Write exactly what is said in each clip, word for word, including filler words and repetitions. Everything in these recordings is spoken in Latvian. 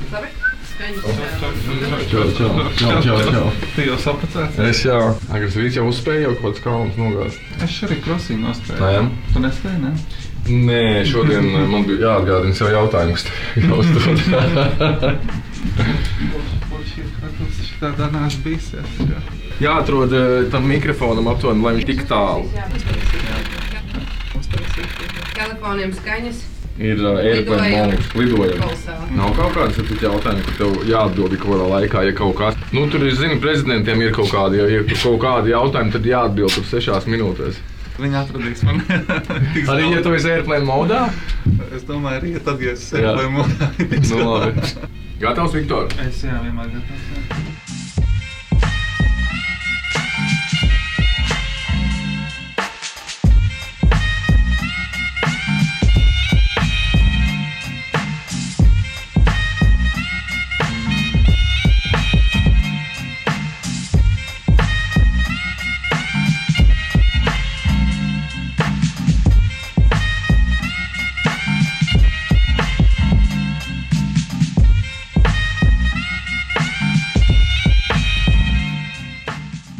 Labi? Čau, čau, čau, čau, čau. Tu jau sapacēsi? Es jau, agres rīts jau uzspēju jau kaut kāds kalns nogāzt. Es šorīt krosīju nospēju. Nē. Tu nespēji, ne? Nē, šodien man bija jāatgādina sev jautājumus. Jāuzdod. Puši, tas šitādā nāc bijis, jā. Jāatrod tam mikrofonam aptuveni, lai viņš tik tālu. Telefoniem skaņas. Ir airplane mode, lidojumi. Kolosāli. Nav kaut kādas ja jautājumi, kur tev jāatbild kaut kādā laikā, ja kaut kas. Nu, tur, es zinu, prezidentiem ir kaut kādi, ja ir kaut kādi jautājumi, tad jāatbild tur sešās minūtēs. Viņi atradīs man. Arī, ja tu esi airplane modā? Es domāju, arī, ja tad, ja esi airplane modā. Nu, labi. Gatavs, Viktor? Es jā, vienmēr gatavs, jā.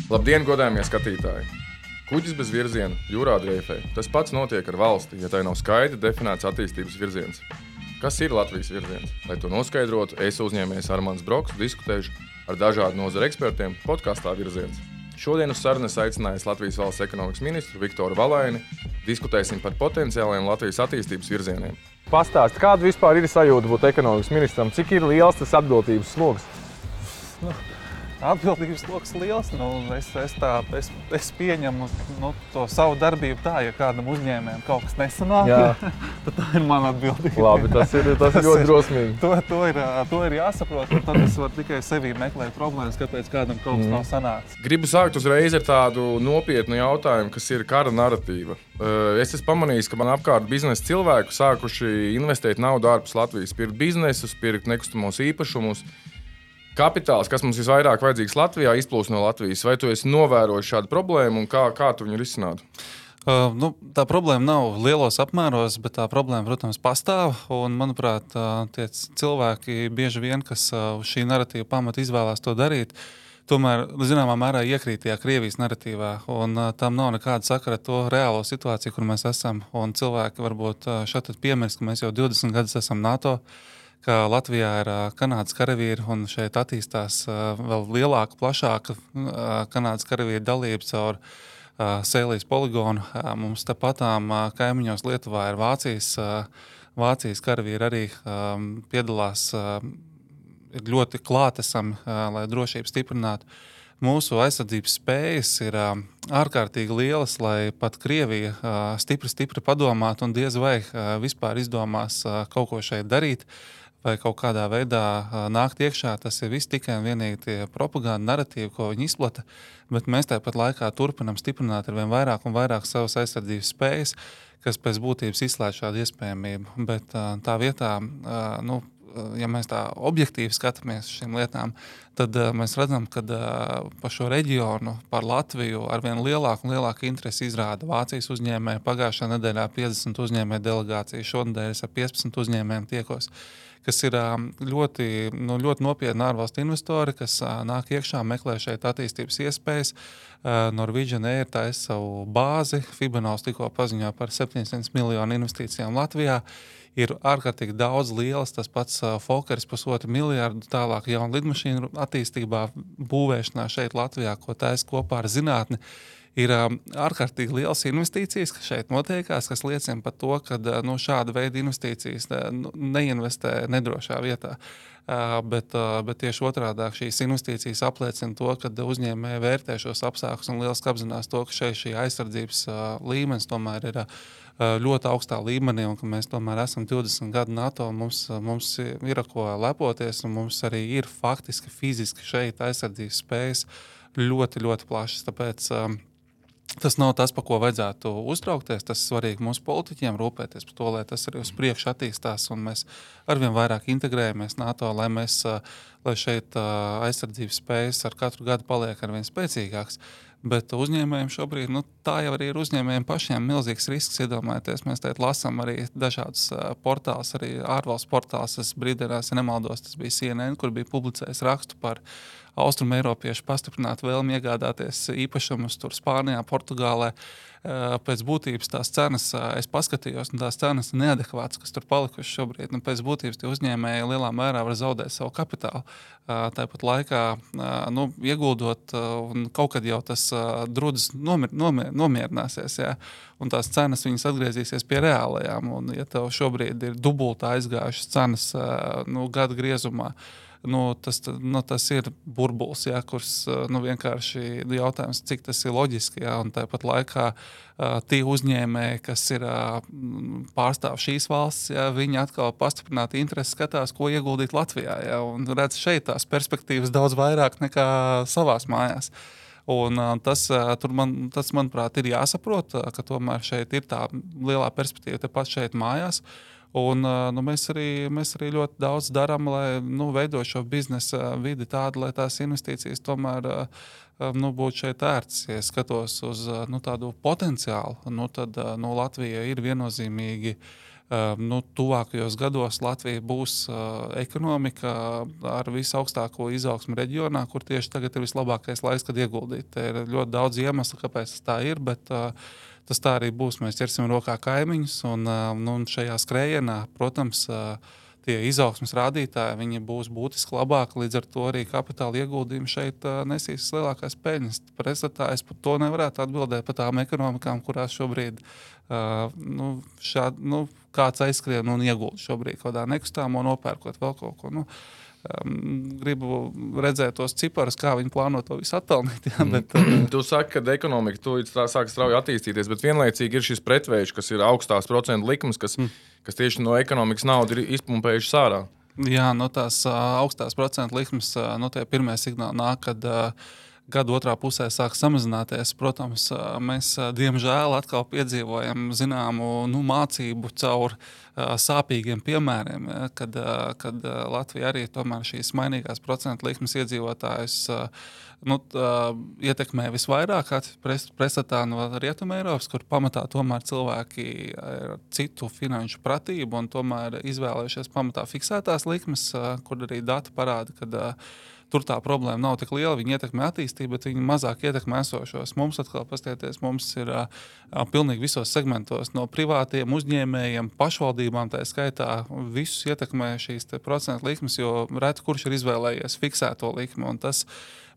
Labdien, godājamie skatītāji! Kuģis bez virziena, jūrā dreifē. Tas pats notiek ar valsti, ja tai nav skaidri definēts attīstības virziens. Kas ir Latvijas virziens? Lai to noskaidrotu, es uzņēmējs Armands Broks diskutēšu ar dažādu nozaru ekspertiem podkastā Virziens. Šodien uz sarunu aicinājis Latvijas valsts ekonomikas ministru Viktoru Valaini. Diskutēsim par potenciāliem Latvijas attīstības virzieniem. Pastāst, kāda vispār ir sajūta būt ekonomikas ministram? Cik ir liels tas atbildības sloks? Nu. Atbildības loks liels. Nu, es, es, tā, es, es pieņemu nu, to savu darbību tā, ja kādam uzņēmējam kaut kas nesanāk, tad tā ir mana atbildība. Labi, tas ir, tas ir ļoti drosmīgi. To, to, ir, to ir jāsaprot, un tad es varu tikai sevī meklēt problēmas, kāpēc kādam kaut kas mm. nav sanācis. Gribu sākt uzreiz ar tādu nopietnu jautājumu, kas ir kara narratīva. Es esmu pamanījis, ka man apkārt biznesa cilvēku sākuši investēt naudu ārpus Latvijas, pirkt biznesus, pirkt nekustamos īpašumus. Kapitāls, kas mums visvairāk vajadzīgs Latvijā, izplūst no Latvijas. Vai tu esi novērojis šādu problēmu un kā, kā tu viņu risinātu? Uh, nu, tā problēma nav lielos apmēros, bet tā problēma, protams, pastāv. Un, manuprāt, uh, tie cilvēki bieži vien, kas uh, šī narratīva pamata izvēlās to darīt, tomēr, zināmā mērā, iekrīt tajā Krievijas narratīvā. Un uh, tam nav nekāda sakara ar to reālo situāciju, kur mēs esam. Un cilvēki varbūt uh, šeit piemirst, ka mēs jau divdesmit gadus esam NATO, ka Latvijā ir Kanādas karavīri un šeit attīstās vēl lielāka, plašāka Kanādas karavīri dalība caur Sēlijas poligonu. Mums tepatām kaimiņos Lietuvā ir Vācijas, Vācijas karavīri arī piedalās, ir ļoti klātesami, lai drošību stiprinātu. Mūsu aizsardzības spējas ir ārkārtīgi lielas, lai pat Krievija stipri, stipri padomātu un diez vai vispār izdomās kaut ko šeit darīt vai kaut kādā veidā nākt iekšā. Tas ir viss tikai un vienīgi tie propaganda narratīvi, ko viņi izplata, bet mēs tāpat laikā turpinam stiprināt ar vien vairāk un vairāk savas aizsardzības spējas, kas pēc būtības izslēdz šādu iespējamību. Bet tā vietā, nu, ja mēs tā objektīvi skatāmies šīm lietām, tad mēs redzam, ka par šo reģionu, par Latviju ar vien lielāku un lielāku interesi izrāda Vācijas uzņēmēji. Pagājušā nedēļā piecdesmit uzņēmēju delegācija, šonedēļ es ar piecpadsmit uzņēmējiem tiekos, kas ir ļoti, nu, ļoti nopietni ārvalstu investori, kas nāk iekšā, meklē šeit attīstības iespējas. Norwegian Air taisa savu bāzi, Fibanovs tikko paziņoja par septiņsimt miljonu investīcijām Latvijā. Ir ārkārtīgi daudz lielas, tas pats Fokkers pusotru miljārdu tālāk jaunu lidmašīnu attīstībā, būvēšanā šeit Latvijā, ko taisa kopā ar zinātni. Ir ārkārtīgi lielas investīcijas, kas šeit notiekās, kas liecina par to, ka no šāda veida investīcijas neinvestē nedrošā vietā. Bet, bet tieši otrādāk šīs investīcijas apliecina to, ka uzņēmēji vērtē šos apstākļus un lieliski apzinās to, ka šeit šī aizsardzības līmenis tomēr ir ļoti augstā līmenī un ka mēs tomēr esam divdesmit gadu NATO, mums, mums ir ko lepoties un mums arī ir faktiski, fiziski šeit aizsardzības spējas ļoti, ļoti plašas. Tāpēc tas nav tas, par ko vajadzētu uztraukties. Tas ir svarīgi mūsu politiķiem rūpēties par to, lai tas arī uz priekšu attīstās un mēs arvien vairāk integrējamies NATO, lai, mēs, lai šeit aizsardzības spējas ar katru gadu paliek arvien spēcīgāks. Bet uzņēmējiem šobrīd nu, tā jau arī ir uzņēmējiem pašiem milzīgs risks. Iedomājieties, mēs teikt lasām arī dažādas portāls, arī ārvalstu portāls. Es brīdinās, ja nemaldos, tas bija C N N, kur bija publicējis rakstu par Austrum Eiropiešu pastiprinātu vēlmi iegādāties īpašumus tur Spānijā, Portugālē. Pēc būtības tās cenas, es paskatījos, un tās cenas ir neadekvātas, kas tur palikuši šobrīd. Nu, pēc būtības tie uzņēmēji lielā mērā var zaudēt savu kapitālu. Tāpat laikā, nu, ieguldot, un kaut kad jau tas drudzis nomier, nomier, nomierināsies, jā, un tās cenas viņas atgriezīsies pie reālajām. Un, ja tev šobrīd ir dubultā aizgājušas cenas, nu, gada griezumā, Nu, tas, nu, tas ir burbulis, jā, kurš nu, vienkārši jautājums, cik tas ir loģiski. Jā, un tāpat laikā uh, tie uzņēmēji, kas ir uh, pārstāv šīs valsts, jā, viņi atkal pastiprināti interesi skatās, ko ieguldīt Latvijā. Jā, un redz šeit tās perspektīvas daudz vairāk nekā savās mājās. Un, uh, tas, uh, man, tas, manuprāt, ir jāsaprot, uh, ka tomēr šeit ir tā lielā perspektīva tepat šeit mājās. Un, nu, mēs, arī, mēs arī ļoti daudz darām, lai nu, veidot šo biznesa vidi tādu, lai tās investīcijas tomēr nu, būtu šeit ērts. Ja skatos uz nu, tādu potenciālu, nu, tad nu, Latvija ir viennozīmīgi. Nu, tuvākajos gados Latvija būs ekonomika ar visaugstāko izaugsmu reģionā, kur tieši tagad ir vislabākais laiks, kad ieguldīt. Te ir ļoti daudz iemeslu, kāpēc tas tā ir, bet tas tā arī būs. Mēs ķersim rokā kaimiņus, un, nu, un šajā skrējienā, protams, tie izaugsmes rādītāji, viņi būs būtiski labāki, līdz ar to arī kapitāla ieguldījumi šeit nesīs lielākās peļņas. Pretstatā es par to nevarētu atbildēt par tām ekonomikām, kurās šobrīd uh, nu, šād, nu, kāds aizskrien un iegulda šobrīd kaut kādā nekustāmo, nopērkot vēl kaut ko. Nu, Um, gribu redzēt tos ciparus, kā viņi plāno to visu atpelnīt. Jā, bet, uh... Tu saki, ka ekonomika tūlīt sāk strauji attīstīties, bet vienlaicīgi ir šis pretvējš, kas ir augstās procentu likums, kas, mm. kas tieši no ekonomikas naudu ir izpumpējuši sārā. Jā, no tās uh, augstās procentu likmes, uh, no tie pirmie signāli nāk, kad uh, gada otrā pusē sāk samazināties. Protams, mēs diemžēl atkal piedzīvojam zināmu nu, mācību caur uh, sāpīgiem piemēriem, ja, kad, uh, kad Latvija arī tomēr šīs mainīgās procentu likmes iedzīvotājus uh, nu, uh, ietekmē visvairāk pretstatā no Rietuma Eiropas, kur pamatā tomēr cilvēki ir citu finanšu pratību un tomēr izvēlējušies pamatā fiksētās likmes, uh, kur arī dati parāda, kad uh, tur tā problēma nav tik liela, viņi ietekmē attīstību, bet viņi mazāk ietekmē esošos. Mums atkal pastieties, mums ir uh, pilnīgi visos segmentos no privātiem uzņēmējiem, pašvaldībām, tā skaitā visus ietekmē šīs te procentu likmes, jo reti kurš ir izvēlējies fiksēto likmi. Un tas,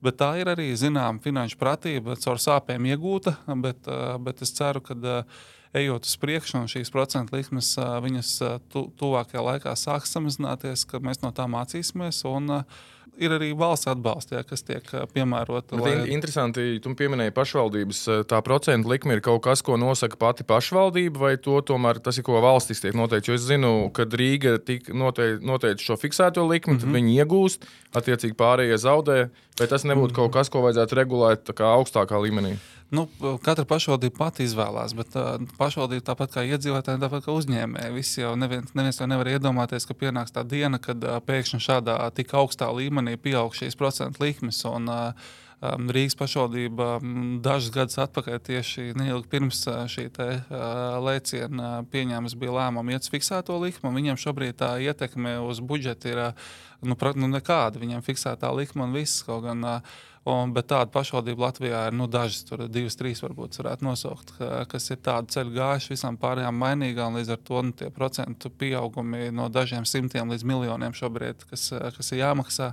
bet tā ir arī, zinām, finanšu pratība, caur sāpēm iegūta, bet, uh, bet es ceru, ka uh, ejot uz priekšu un šīs procentu likmes, uh, viņas uh, tu, tuvākajā laikā sāks samazināties, ka mēs no tā mācīsimies un uh, ir arī valsts atbalsts, jā, kas tiek piemērota. Lai... Interesanti, tu pieminēji pašvaldības. Tā procentu likme ir kaut kas, ko nosaka pati pašvaldība, vai to tomēr tas ir, ko valstis tiek noteikts? Jo es zinu, kad Rīga noteica noteic šo fiksēto likmi, mm-hmm. tad viņi iegūst, attiecīgi pārējie zaudē, vai tas nebūtu mm-hmm. kaut kas, ko vajadzētu regulēt tā kā augstākā līmenī? Nu, katra pašvaldība pati izvēlās, bet uh, pašvaldība tāpat kā iedzīvotāji, tāpat kā uzņēmēji. Visi jau neviens, neviens jau nevar iedomāties, ka pienāks tā diena, kad uh, pēkšņi šādā tik augstā līmenī pieaug šīs procentu likmes. Un, uh, um, Rīgas pašvaldība um, dažus gadus atpakaļ tieši neilgi pirms uh, šī te, uh, lēciena uh, pieņēmas bija lēmuma iet uz fiksēto likmi, un viņiem šobrīd tā ietekme uz budžetu ir uh, nu, pra, nu, nekāda. Viņiem fiksētā likme un viss kaut gan... Uh, Un, bet tāda pašvaldība Latvijā ir nu, dažas, tur divas, trīs varbūt varētu nosaukt, kas ir tādu ceļu gājuši visām pārējām mainīgām, līdz ar to nu, tie procentu pieaugumi no dažiem simtiem līdz miljoniem šobrīd, kas, kas ir jāmaksā.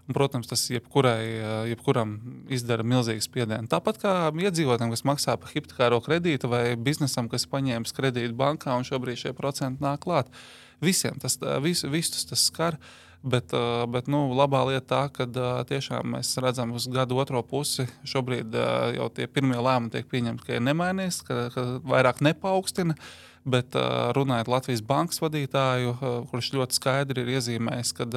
Un, protams, tas jebkurai, jebkuram izdara milzīgu spiedienu. Tāpat kā iedzīvotājiem, kas maksā par hipotekāro kredītu vai biznesam, kas paņēmis kredītu bankā un šobrīd šie procenti nāk klāt. Visiem tas, vis, visus tas skar. Bet, bet nu, labā lieta tā, ka tiešām mēs redzam uz gadu otro pusi. Šobrīd jau tie pirmie lēmumi tiek pieņemti, ka ir nemainījis, ka, ka vairāk nepaukstina. Bet runājot Latvijas bankas vadītāju, kurš ļoti skaidri ir iezīmējis, ka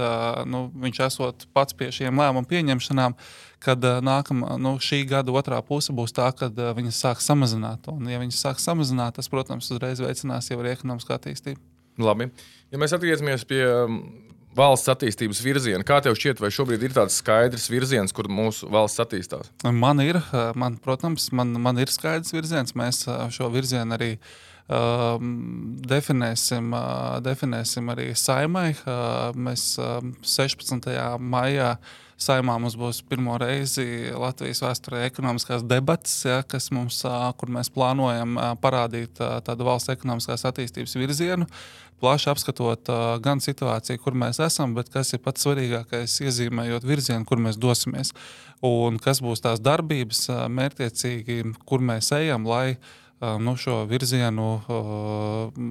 nu, viņš esot pats pie šiem lēmumu pieņemšanām, kad nākamā, nu, šī gada otrā puse būs tā, kad viņas sāk samazināt. Un, ja viņas sāk samazināt, tas, protams, uzreiz veicinās jau arī ekonomiskā attīstība. Labi. Ja mēs atgriezamies pie valsts attīstības virzienu. Kā tev šķiet, vai šobrīd ir tāds skaidrs virziens, kur mūsu valsts attīstās? Man ir, man, protams, man, man ir skaidrs virziens. Mēs šo virzienu arī um, definēsim, uh, definēsim arī Saimai. Uh, mēs uh, sešpadsmitajā maijā Saimā mums būs pirmo reizi Latvijas vēsturē ekonomiskās debates, ja, kas mums, uh, kur mēs plānojam uh, parādīt uh, tādu valsts ekonomiskās attīstības virzienu. Plaši apskatot uh, gan situāciju, kur mēs esam, bet kas ir pats svarīgākais, iezīmējot virzienu, kur mēs dosimies. Un kas būs tās darbības, uh, mērķtiecīgi, kur mēs ejam, lai uh, nu, šo virzienu uh,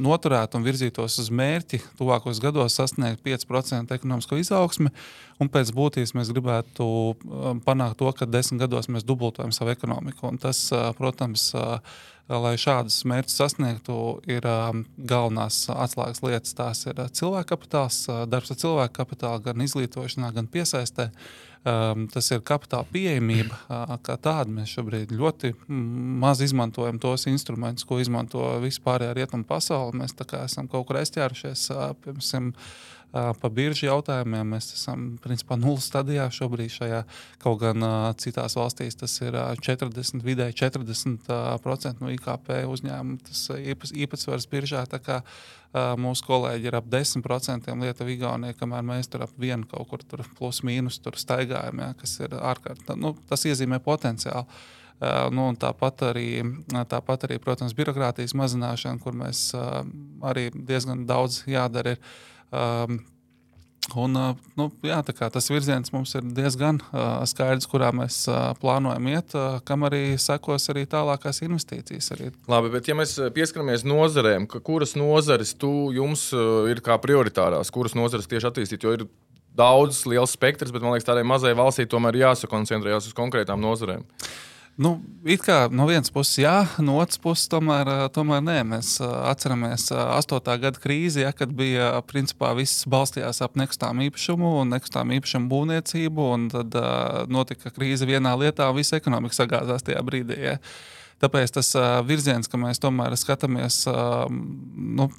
noturētu un virzītos uz mērķi tuvākos gados sasniegt pieci procenti ekonomisko izaugsmi. Un pēc būtības mēs gribētu uh, panākt to, ka desmit gados mēs dubultojam savu ekonomiku. Un tas, uh, protams, uh, lai šādus mērķus sasniegtu, ir um, galvenās atslēgas lietas. Tās ir cilvēka kapitāls, darbs ar cilvēku kapitālu, gan izglītošanā, gan piesaistē. Um, tas ir kapitāla pieejamība, uh, kā tāda. Mēs šobrīd ļoti maz izmantojam tos instrumentus, ko izmanto vispārējā rietumu pasauli. Mēs tā kā esam kaut kur aizķērušies, uh, piemēram, pa biržu jautājumiem. Mēs esam principā nulles stadijā šobrīd šajā, kaut gan uh, citās valstīs tas ir uh, četrdesmit, vidēji četrdesmit procenti no I K P uzņēmumu. Tas īpas, īpatsvars biržā, tā kā uh, mūsu kolēģi ir ap desmit procenti Lietuva, Igaunija, kamēr mēs tur ap vienu kaut kur tur plus mīnus tur staigājam, ja, kas ir ārkārt. Nu, tas iezīmē potenciālu. Uh, nu, un tāpat arī, tāpat arī, protams, birokrātijas mazināšana, kur mēs uh, arī diezgan daudz jādara ir. Um, un, uh, nu, jā, tā kā tas virziens mums ir diezgan uh, skaidrs, kurā mēs uh, plānojam iet, uh, kam arī sekos arī tālākās investīcijas. Arī. Labi, bet ja mēs pieskaramies nozarēm, kuras nozares tu jums uh, ir kā prioritārās, kuras nozares tieši attīstīt, jo ir daudz liels spektrs, bet man liekas tādai mazai valstī tomēr jāsakoncentrējās uz konkrētām nozarēm. Nu, it kā no vienas puses jā, no otras puses tomēr, tomēr nē. Mēs atceramies astotā gada krīzi, ja, kad bija principā viss balstījās ap nekustāmu īpašumu un nekustāmu īpašumu būvniecību, un tad uh, notika krīze vienā lietā un visa ekonomika sagāzās tajā brīdī. Ja. Tāpēc tas uh, virziens, ka mēs tomēr skatāmies, uh, nu,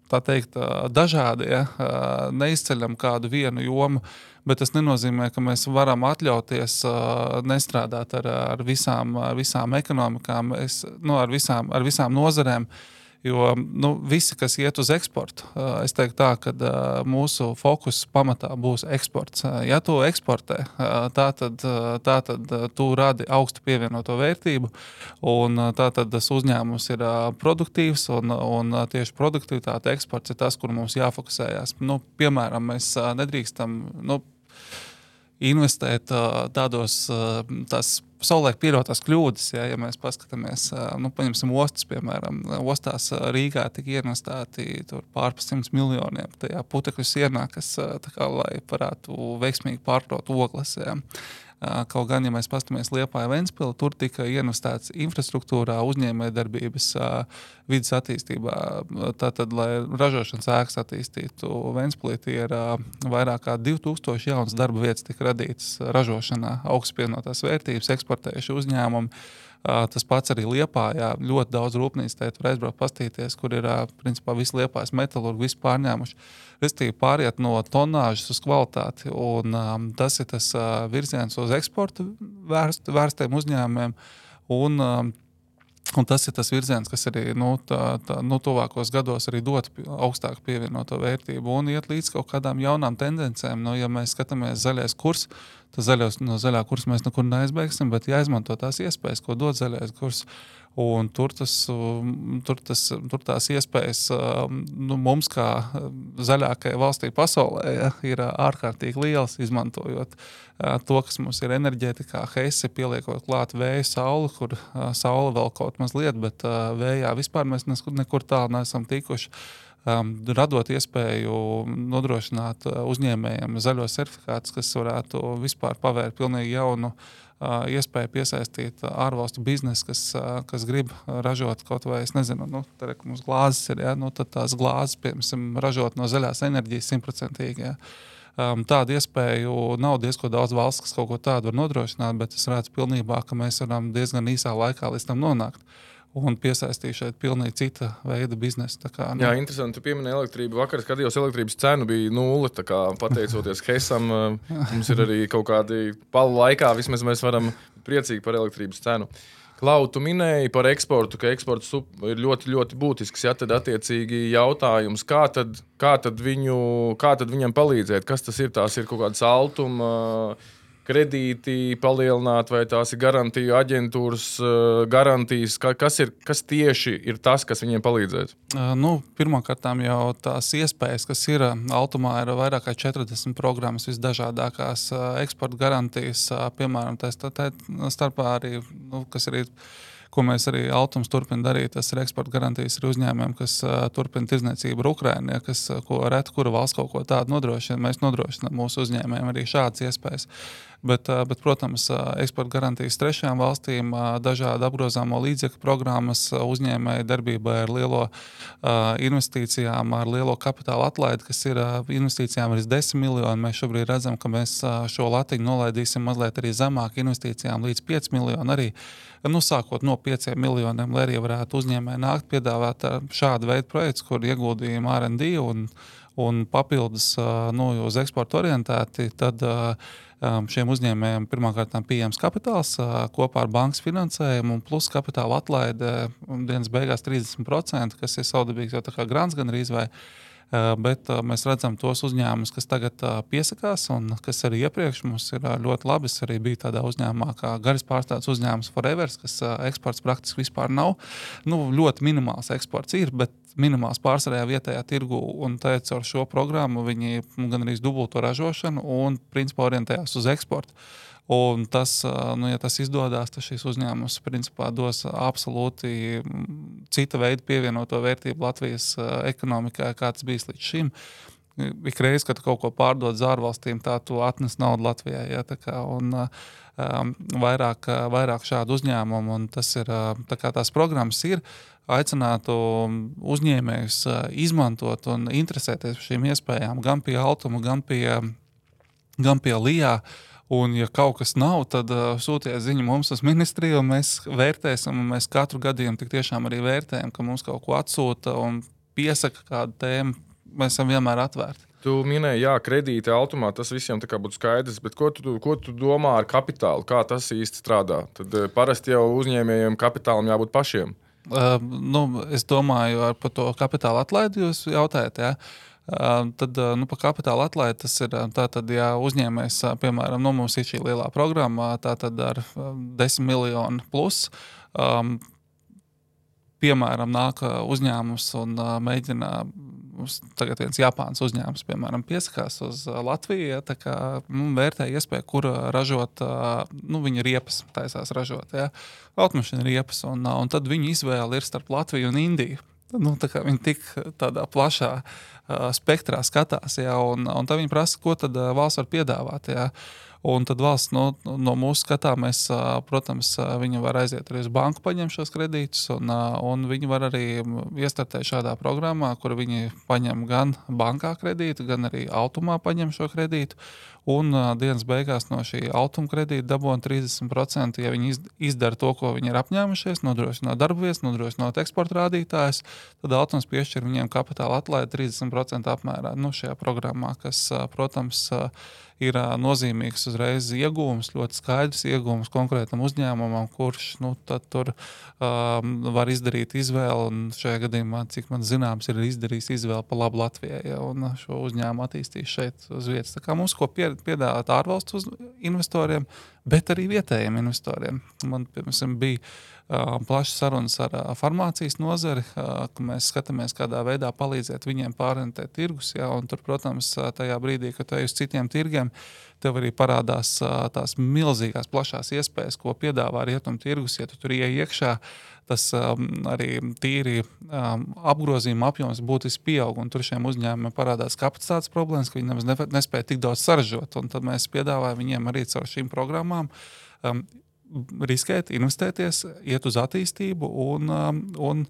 tā teikt, uh, dažādi, ja, uh, neizceļam kādu vienu jomu, bet tas nenozīmē, ka mēs varam atļauties uh, nestrādāt ar, ar, visām, ar visām ekonomikām, es, nu, ar, visām, ar visām nozarēm, jo nu, visi, kas iet uz eksportu, uh, es teiktu tā, ka uh, mūsu fokus pamatā būs eksports. Uh, ja tu eksportē, uh, tā tad, uh, tā tad uh, tu radi augstu pievienoto vērtību, un uh, tā tad tas uzņēmums ir uh, produktīvs, un, un uh, tieši produktivitāte eksports ir tas, kur mums jāfokusējās. Nu, piemēram, mēs uh, nedrīkstam, nu, investēt uh, tādos uh, tās savulaik pieļautās kļūdas, ja, ja mēs paskatāmies, uh, nu, paņemsim ostas, piemēram, ostās uh, Rīgā tika investēti tur pār pa simts miljoniem tajā putekļu sienā, kas uh, tā kā, lai varētu veiksmīgi pārkrot ogles, ja. Uh, kaut gan, ja mēs paskatāmies Liepāja Ventspili, tur tika investēts infrastruktūrā, uzņēmējdarbības, uh, vidas attīstībā. Tātad, lai ražošanas ēkas attīstītu Ventspilī, ir uh, vairāk kā divi tūkstoši jaunas darba vietas tika radītas ražošanā, augstpievienotās vērtības, eksportējuši uzņēmumi. Uh, tas pats arī Liepājā, ļoti daudz rūpnīcu tēt var aizbraukt pastīties, kur ir uh, principā visi Liepājas metalurgi, visi pārņēmuši. Restīvi pāriet no tonāžas uz kvalitāti, un um, tas ir tas uh, virziens uz eksportu vērst, vērstiem uzņēmumiem, un, um, un tas ir tas virziens, kas arī nu, tā, tā, nu, tuvākos gados arī dot augstāku pievienoto vērtību un iet līdz kaut kādām jaunām tendencēm. Nu, ja mēs skatāmies zaļais kurs, tad zaļos, no zaļā kursa mēs nekur neaizbēgsim, bet jāizmanto tās iespējas, ko dod zaļais kurs. Un tur, tas, tur, tas, tur tās iespējas nu, mums kā zaļākajai valstī pasaulē ja, ir ārkārtīgi liels, izmantojot to, kas mums ir enerģētikā, heisi, pieliekot klāt vēju, sauli, kur saule vēl kaut mazliet, bet vējā vispār mēs nekur tālu neesam tikuši. Um, radot iespēju nodrošināt uzņēmējiem zaļos certifikātus, kas varētu vispār pavērt pilnīgi jaunu uh, iespēju piesaistīt ārvalstu biznesu, kas, uh, kas grib ražot kaut vai, es nezinu, nu, tā reka mums glāzes ir, ja, nu, tad tās glāzes, piemēram, ražot no zaļās enerģijas simtprocentīgi, ja. Um, tādu iespēju nav diezko daudz valsts, kas kaut ko tādu var nodrošināt, bet es redzu pilnībā, ka mēs varam diezgan īsā laikā līdz tam nonākt. un piesaistīja šeit pilnīgi cita veida biznesu. Tā kā, nu, Jā, interesanti, tu pieminēji elektrību. Vakar skatījos, elektrības cena bija nulle, tā kā pateicoties Hesam, mums ir arī kaut kādi palu laikā, vismaz mēs varam priecīgi par elektrības cenu. Klau, tu minēji par eksportu, ka eksports ir ļoti, ļoti būtisks, ja tad attiecīgi jautājums, kā tad, kā tad, viņu, kā tad viņam palīdzēt, kas tas ir, tās ir kaut kādas altuma, kredīti palielināt, vai tās ir garantiju aģentūras garantijas, kas, ir, kas tieši ir tas, kas viņiem palīdzēs? Nu, pirmkārtām jau tās iespējas, kas ir Altumā, ir vairāk kā četrdesmit programmas, visdažādākās eksporta garantijas, piemēram, tā, tā starpā arī, nu, kas arī ko mēs arī Altums turpina darīt, tas ir eksporta garantijas ar uzņēmumiem, kas uh, turpina tirdzniecību ar Ukrainu, ja, kas, ko reta, kura valsts kaut ko tādu nodrošina. Mēs nodrošinām mūsu uzņēmējiem arī šādas iespējas. Bet, uh, bet protams, uh, eksporta garantijas trešajām valstīm, uh, dažādi apgrozāmo līdzekļu programmas uh, uzņēmēju darbībai ar lielo uh, investīcijām, ar lielo kapitāla atlaidi, kas ir uh, investīcijām līdz desmit miljoni. Mēs šobrīd redzam, ka mēs uh, šo latiņu nolaidīsim mazliet arī zemāk investīcijām līdz pieci miljoni arī. Nu, sākot no pieciem miljoniem, lai arī varētu uzņēmēji nākt piedāvāt šādu veidu projektus, kur ieguldījumi R and D un, un papildus nu, uz eksportu orientēti, tad šiem uzņēmējiem pirmkārt pieejams kapitāls kopā ar bankas finansējumu un plus kapitāla atlaide dienas beigās trīsdesmit procenti, kas ir saudabīgs jau tā kā grants gan arī vai. Bet mēs redzam tos uzņēmumus, kas tagad piesakās un kas arī iepriekš mums ir ļoti labi. Es arī biju tādā uzņēmumā kā garis pārstāvis uzņēmums Forevers, kas eksports praktiski vispār nav. Nu, ļoti minimāls eksports ir, bet minimāls pārsvarējā vietējā tirgu un tā caur šo programmu viņi gan arī dubulto ražošanu un principā orientējās uz eksportu. Un tas, nu, ja tas izdodas, tad šis uzņēmums principā dos absolūti cita veida pievienoto vērtību Latvijas ekonomikai, kā tas bijis līdz šim. Ikreiz, kad kaut ko pārdod uz ārvalstīm, tā tu atnes naudu Latvijai. Ja, tā kā, un, um, vairāk, vairāk šādu uzņēmumu, un tas ir, tā kā tās programmas ir, aicinātu uzņēmējus izmantot un interesēties par šīm iespējām gan pie Altuma, gan pie, gan pie Lijā. Un, ja kaut kas nav, tad uh, sūtiet ziņu mums uz ministriju, un mēs vērtēsim, un mēs katru gadījumu tik tiešām arī vērtējam, ka mums kaut ko atsūta un piesaka kādu tēmu. Mēs esam vienmēr atvērti. Tu minēji, jā, kredīti Altumā, tas visiem tā kā būtu skaidrs, bet ko tu, ko tu domā ar kapitālu? Kā tas īsti strādā? Tad uh, parasti jau uzņēmējiem kapitālam jābūt pašiem. Uh, nu, es domāju, ar par to kapitāla atlaidi jūs jautājat, jā. Uh, tad nu, par kapitāla atlaidi tas ir tātad, ja uzņēmējs, piemēram, nu, mums ir šī lielā programma, tātad ar desmit miljonu plus, um, piemēram, nāk uzņēmums un uh, mēģina, tagad viens Japāns uzņēmums, piemēram, piesakās uz Latviju, ja, tā kā nu, vērtē iespēju, kur ražot, uh, nu, viņa riepas taisās ražot, ja, automašīna riepas, un, uh, un tad viņa izvēle ir starp Latviju un Indiju. Nu, tā kā viņi tik tādā plašā uh, spektrā skatās, jā, un, un tā viņi prasa, ko tad uh, valsts var piedāvāt, jā. Un tad valsts no, no mūsu skatā mēs, uh, protams, uh, viņi var aiziet arī uz banku paņemt šos kredītus, un, uh, un viņi var arī iestartēt šādā programmā, kur viņi paņem gan bankā kredītu, gan arī Altumā paņem šo kredītu, un uh, dienas beigās no šī Altuma kredīta dabūna trīsdesmit procenti, ja viņi izdara to, ko viņi ir apņēmušies, nodrošinot darba vietas, nodrošinot eksporta rādītājus, tad Altums piešķir viņiem kapitāla atlaidi trīsdesmit procenti apmērā, nu, šajā programmā, kas, uh, protams, uh, ir uh, nozīmīgs uzreiz iegūms, ļoti skaidrs iegūms konkrētam uzņēmumam, kurš, nu, tad tur um, var izdarīt izvēli, un šajā gadījumā, cik man zināms, ir izdarījis izvēli pa labu Latvijai, ja, un šo uzņēmumu attīstīs šeit uz vietas. Tā kā mums ko piedāvāt ārvalstu investoriem, bet arī vietējiem investoriem. Man, piemēram, bija uh, plašas sarunas ar uh, farmācijas nozari, uh, ka mēs skatāmies, kādā veidā palīdzēt viņiem pārorientēt tirgus, ja, un tur, protams, tajā brīdī, kad tu ej uz citiem tirgiem, tev arī parādās uh, tās milzīgās plašās iespējas, ko piedāvā rietumu tirgus, ja tu tur ieej iekšā, tas um, arī tīri um, apgrozījuma apjoms būtiski pieaug, un tur šiem uzņēmumiem parādās kapacitātes problēmas, ka viņi nemaz ne, nespēja tik daudz saražot, un tad mēs piedāvājam viņiem arī caur šīm programmām um, riskēt, investēties, iet uz attīstību un, um, un,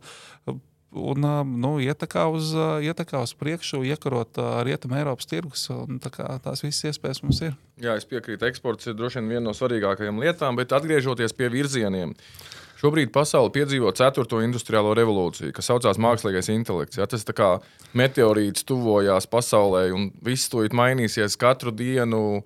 un um, nu, iet tā kā uz, iet tā kā uz priekšu, iekarot uh, rietumu Eiropas tirgus, un tā kā tās visas iespējas mums ir. Jā, es piekrītu, eksports ir droši vien viena no svarīgākajām lietām, bet atgriežoties pie virzieniem. Šobrīd pasaule piedzīvo ceturto industriālo revolūciju, kas saucās mākslīgais intelekts. Ja? Tas tā kā meteorīts tuvojās pasaulē, un viss to mainīsies katru dienu.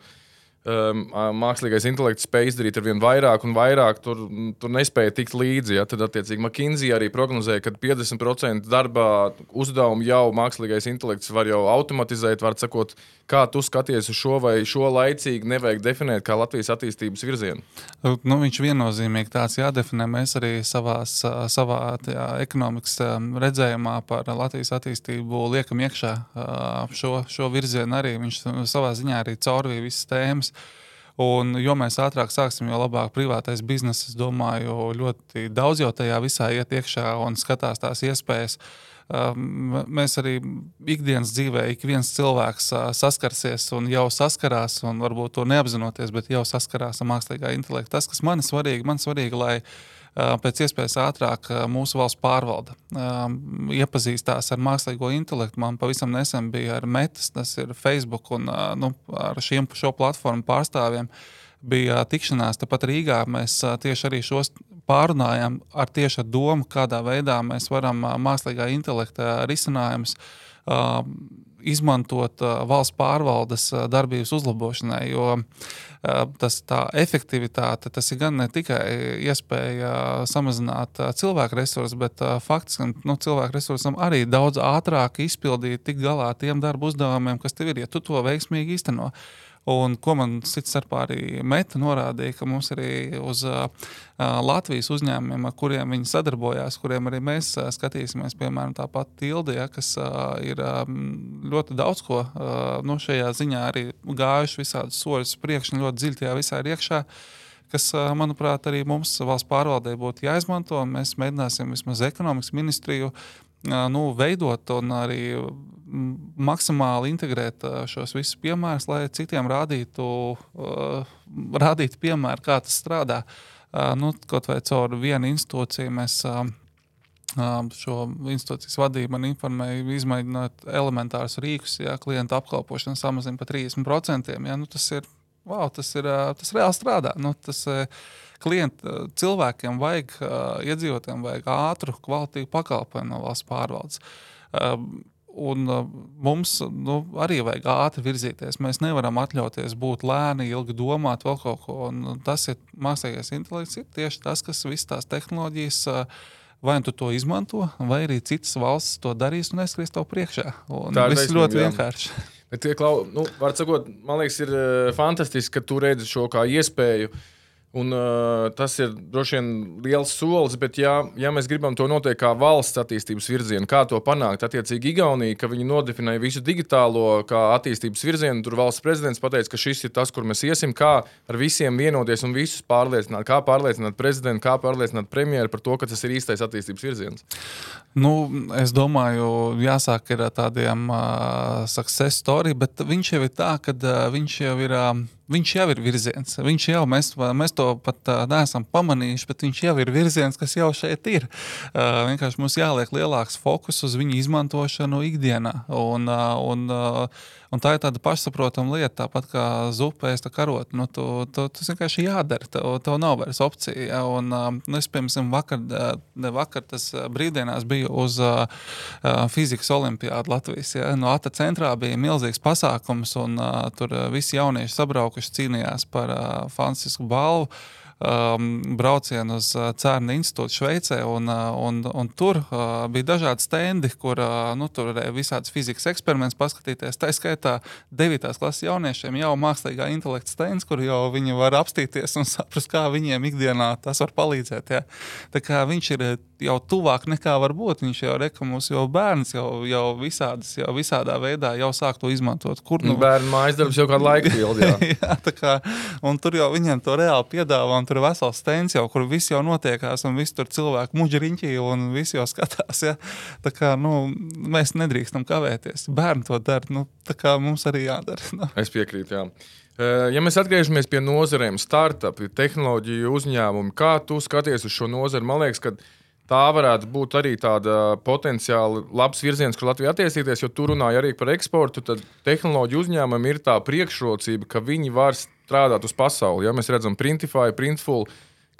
Um, mākslīgais intelekts spēj izdarīt ar vien vairāk un vairāk, tur, tur nespēja tikt līdzi. Ja? Tad, attiecīgi, McKinsey arī prognozēja, ka piecdesmit procenti darbā uzdevumu jau mākslīgais intelekts var jau automatizēt. Var sakot, kā tu skaties uz šo vai šo laicīgi nevajag definēt kā Latvijas attīstības virzienu? Nu, viņš viennozīmīgi tāds jādefinē. Mēs arī savās, savā tajā, ekonomikas redzējumā par Latvijas attīstību liekam iekšā šo, šo virzienu arī. Viņš savā ziņā arī caurvīja visas tēmas. Un, jo mēs ātrāk sāksim, jo labāk privātais bizness, es domāju, ļoti daudz jau tajā visā iet iekšā un skatās tās iespējas. Mēs arī ikdienas dzīvē, ik viens cilvēks saskarsies un jau saskarās, un varbūt to neapzinoties, bet jau saskarās ar mākslīgā intelekta. Tas, kas man ir svarīgi, man svarīgi, lai pēc iespējas ātrāk mūsu valsts pārvalda iepazīstās ar mākslīgo intelektu. Man pavisam nesen bija ar Metas, tas ir Facebook, un nu, ar šiem, šo platformu pārstāvjiem bija tikšanās. Tāpat Rīgā mēs tieši arī šos pārunājām ar tieši ar domu, kādā veidā mēs varam mākslīgā intelekta risinājumus izmantot valsts pārvaldes darbības uzlabošanai, jo tas tā efektivitāte, tas ir gan ne tikai iespēja samazināt cilvēku resursus, bet faktiski nu, cilvēku resursam arī daudz ātrāk izpildīt tik galā tiem darba uzdevumiem, kas tev ir, ja tu to veiksmīgi īsteno. Un ko man cits starpā arī Meta norādīja, ka mums arī uz uh, Latvijas uzņēmumiem, ar kuriem viņi sadarbojās, kuriem arī mēs uh, skatīsimies, piemēram, tāpat Tilde, ja, kas uh, ir um, ļoti daudz ko uh, no šajā ziņā arī gājuši visādus soļus priekš un ļoti dziļi tajā visā ir iekšā, kas, uh, manuprāt, arī mums valsts pārvaldē būtu jāizmanto, un mēs mēģināsim vismaz ekonomikas ministriju uh, nu, veidot un arī maksimāli integrēt šos visus piemērus, lai citiem rādītu, uh, rādītu piemēru, kā tas strādā. Uh, nu, kaut vai caur vienu institūciju mēs uh, šo institūcijas vadību man informēja, izmēģināt elementārus rīkus, ja klienta apkalpošana samazina pa trīsdesmit procentiem. Ja, nu, tas ir, wow, tas ir, tas reāli strādā. Nu, tas klienta cilvēkiem vajag, iedzīvotājiem vajag ātru, kvalitīvu pakalpojumu no valsts pārvaldes. Uh, Un uh, mums nu, arī vajag ātri virzīties. Mēs nevaram atļauties būt lēni, ilgi domāt vēl kaut ko. Un tas ir mākslīgais intelekts, ir tieši tas, kas visas tās tehnoloģijas uh, vai tu to izmanto, vai arī citas valsts to darīs un aizskries tev priekšā. Un viss ļoti vienkārši. Bet, Klau, nu, var sakot, man liekas, ir uh, fantastiski, ka tu redzi šo kā iespēju. Un, uh, tas ir droši vien liels solis, bet ja, ja mēs gribam to noteikt kā valsts attīstības virzienu, kā to panākt, attiecīgi Igaunija, ka viņi nodefinēja visu digitālo kā attīstības virzienu, tur valsts prezidents pateica, ka šis ir tas, kur mēs iesim, kā ar visiem vienoties un visus pārliecināt, kā pārliecināt prezidentu, kā pārliecināt premjeru par to, ka tas ir īstais attīstības virziens. Nu, es domāju, jāsāk ir tādiem uh, success story, bet viņš jau ir tā, ka uh, viņš jau ir... Uh, Viņš jau ir virziens. Viņš jau, mēs, mēs to pat uh, neesam pamanījuši, bet viņš jau ir virziens, kas jau šeit ir. Uh, vienkārši mums jāliek lielāks fokus uz viņu izmantošanu ikdienā. Un, uh, un, uh, un tā ir tāda pašsaprotama lieta, tāpat kā zupa ēst karot. Nu, tu, tu, tas vienkārši jādara, tev, tev nav vairs opcija. Ja? Un, uh, nu, es, piemēram, vakar, ne vakar tas brīvdienās biju uz uh, fizikas olimpiādu Latvijas. Ja? No Ata centrā bija milzīgs pasākums, un uh, tur uh, visi jaunieši sabraukuši cīnījās par uh, fantastisku balvu um, braucienu uz uh, Cērna institūtu Šveicē, un, uh, un, un tur uh, bija dažādi stendi, kur uh, nu, tur varēja visādas fizikas eksperiments paskatīties. Tā skaitā devītās klases jauniešiem jau mākslīgā intelekta stends, kur jau viņi var apstīties un saprast, kā viņiem ikdienā tas var palīdzēt. Ja? Tā kā viņš ir jau tuvāk nekā var būt. Viņš jau reka mums jau bērns jau, jau, visādas, jau visādā veidā jau sāk to izmantot. Kur, nu... Bērnu mājas darbs jau kādu laiku pildi, jā. jā, tā kā, un tur jau viņiem to reāli piedāvā, un tur ir vesels stends jau, kur viss jau notiekās, un viss tur cilvēku muģriņķī, un viss jau skatās, ja. Tā kā, nu, mēs nedrīkstam kavēties. Bērni to dara, nu, tā kā mums arī jādara. Nu. Es piekrītu, jā. Ja mēs atgriežamies pie nozarēm, startupi, tehnoloģiju uzņēmumi, kā tu skaties uz šo nozari? Man liekas, ka tā varētu būt arī tāda potenciāli labs virziens, kur Latvija attīstīties, jo tu runāji arī par eksportu, tad tehnoloģiju uzņēmumiem ir tā priekšrocība, ka viņi var strādāt uz pasauli. Ja mēs redzam Printify, Printful,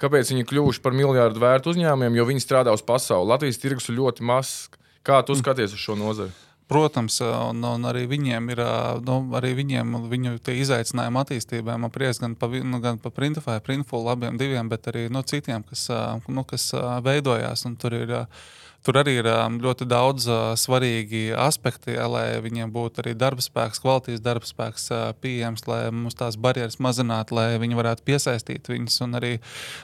kāpēc viņi kļuvuši par miljārdu vērtu uzņēmumiem, jo viņi strādā uz pasauli. Latvijas tirgus ir ļoti mazs. Kā tu skaties uz šo nozari? Protams, un, un arī viņiem ir nu, arī viņiem, viņu izaicinājumi attīstībai. Man prieks gan par nu, pa Printful, Printful abiem diviem, bet arī no citiem, kas, nu, kas veidojās. Tur, ir, tur arī ir ļoti daudz svarīgi aspekti, ja, lai viņiem būtu arī darbspēks, kvalitātes darbspēks pieejams, lai mums tās barjeras mazinātu, lai viņi varētu piesaistīt viņus. Un arī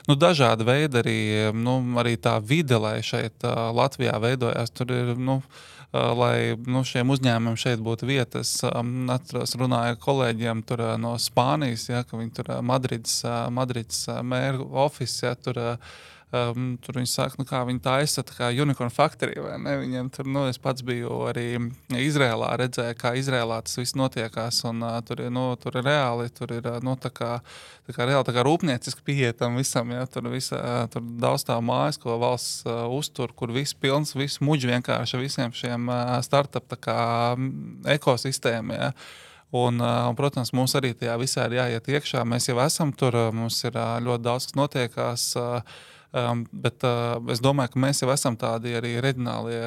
nu, dažādi veidi, arī, nu, arī tā vide, lai šeit Latvijā veidojās. Tur ir, nu, lai nu, šiem uzņēmumiem šeit būtu vietas. Atceros, runāju kolēģiem tur, no Spānijas, ja, ka viņi tur Madrids, Madrids mēra office, ja, tur, um, tur viņi saka, nu, kā viņi taisa tā kā Unicorn Factory, vai ne? Viņiem tur, nu, es pats biju arī Izrēlā, redzēju, kā Izrēlā tas viss notiekās, un uh, tur, nu, tur ir reāli, tur ir, nu, tā kā, tā kā reāli, tā kā rūpnieciski pieetam visam, ja, tur, visa, tur daudz tā mājas, ko valsts uh, uztur, kur viss pilns, viss muģi vienkārši visiem šiem uh, startup tā kā ekosistēmiem, ja. Un, un, protams, mums arī tajā visā ir jāiet iekšā. Mēs jau esam tur, mums ir ļoti daudz, kas notiekās, bet es domāju, ka mēs jau esam tādi arī reģionālie.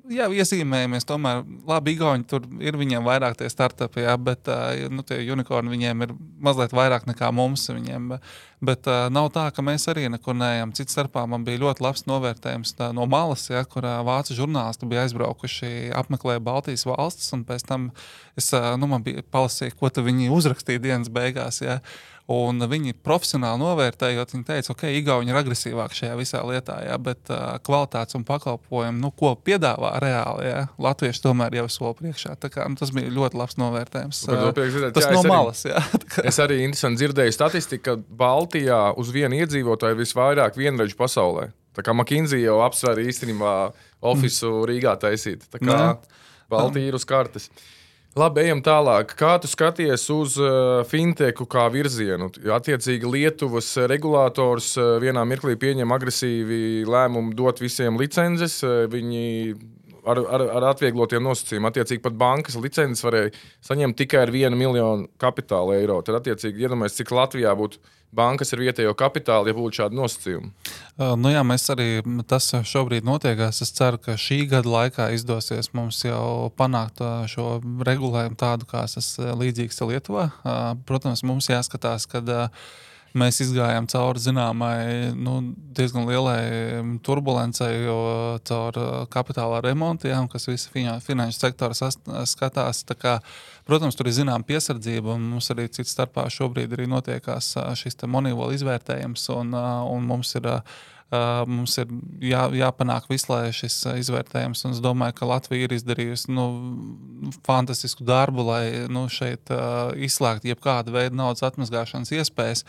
Jā, iezīmējamies, tomēr labi igauņi, tur ir viņiem vairāk tie startupi, jā, bet nu, tie unikorni viņiem ir mazliet vairāk nekā mums viņiem, bet nav tā, ka mēs arī nekur neejam. Cits starpā man bija ļoti labs novērtējums tā, no malas, jā, kur vācu žurnālisti bija aizbraukuši, apmeklēja Baltijas valstis, un pēc tam es, nu, man bija palasīja, ko tu viņi uzrakstīja dienas beigās, jā. Un viņi profesionāli novērtējot, viņi teica, ok, igauņi ir agresīvāk šajā visā lietā, jā, bet uh, kvalitātes un pakalpojumi, nu, ko piedāvā reāli, jā, latvieši tomēr jau soli priekšā. Tā kā, nu, tas bija ļoti labs novērtējums. Uh, dzirdēt, tas jā, no arī, malas, jā. Es arī interesanti dzirdēju statistiku, ka Baltijā uz vienu iedzīvotāju ir visvairāk vienreģu pasaulē. Tā kā McKinsey jau apsver īstenībā ofisu mm. Rīgā taisīt. Tā kā Baltija ir uz kartes. Labi, ejam tālāk. Kā tu skaties uz uh, fintechu kā virzienu? Attiecīgi Lietuvas regulators uh, vienā mirklī pieņem agresīvi lēmumu dot visiem licences. Uh, viņi ar, ar, ar atvieglotiem nosacījumiem. Attiecīgi pat bankas licences varēja saņemt tikai ar vienu miljonu kapitāla eiro. Tad attiecīgi iedomājies, cik Latvijā būtu bankas ar vietējo kapitālu, ja būtu šādi nosacījumi. Uh, nu jā, mēs arī, tas šobrīd notiekās. Es ceru, ka šī gada laikā izdosies mums jau panākt uh, šo regulējumu tādu, kā tas līdzīgs Lietuvā. Uh, protams, mums jāskatās, kad uh, mēs izgājām cauri zināmai, nu, diezgan lielai turbulencei, jo caur kapitālā remontiem, kas visi finanšu sektora skatās. Tā kā, protams, tur ir zinām piesardzība, un mums arī cits starpā šobrīd arī notiekās šis te Moneyval izvērtējums, un, un mums ir, mums ir jā, jāpanāk visu, lai šis izvērtējums, un es domāju, ka Latvija ir izdarījusi, nu, fantastisku darbu, lai, nu, šeit izslēgt jebkādu veidu naudas atmazgāšanas iespējas.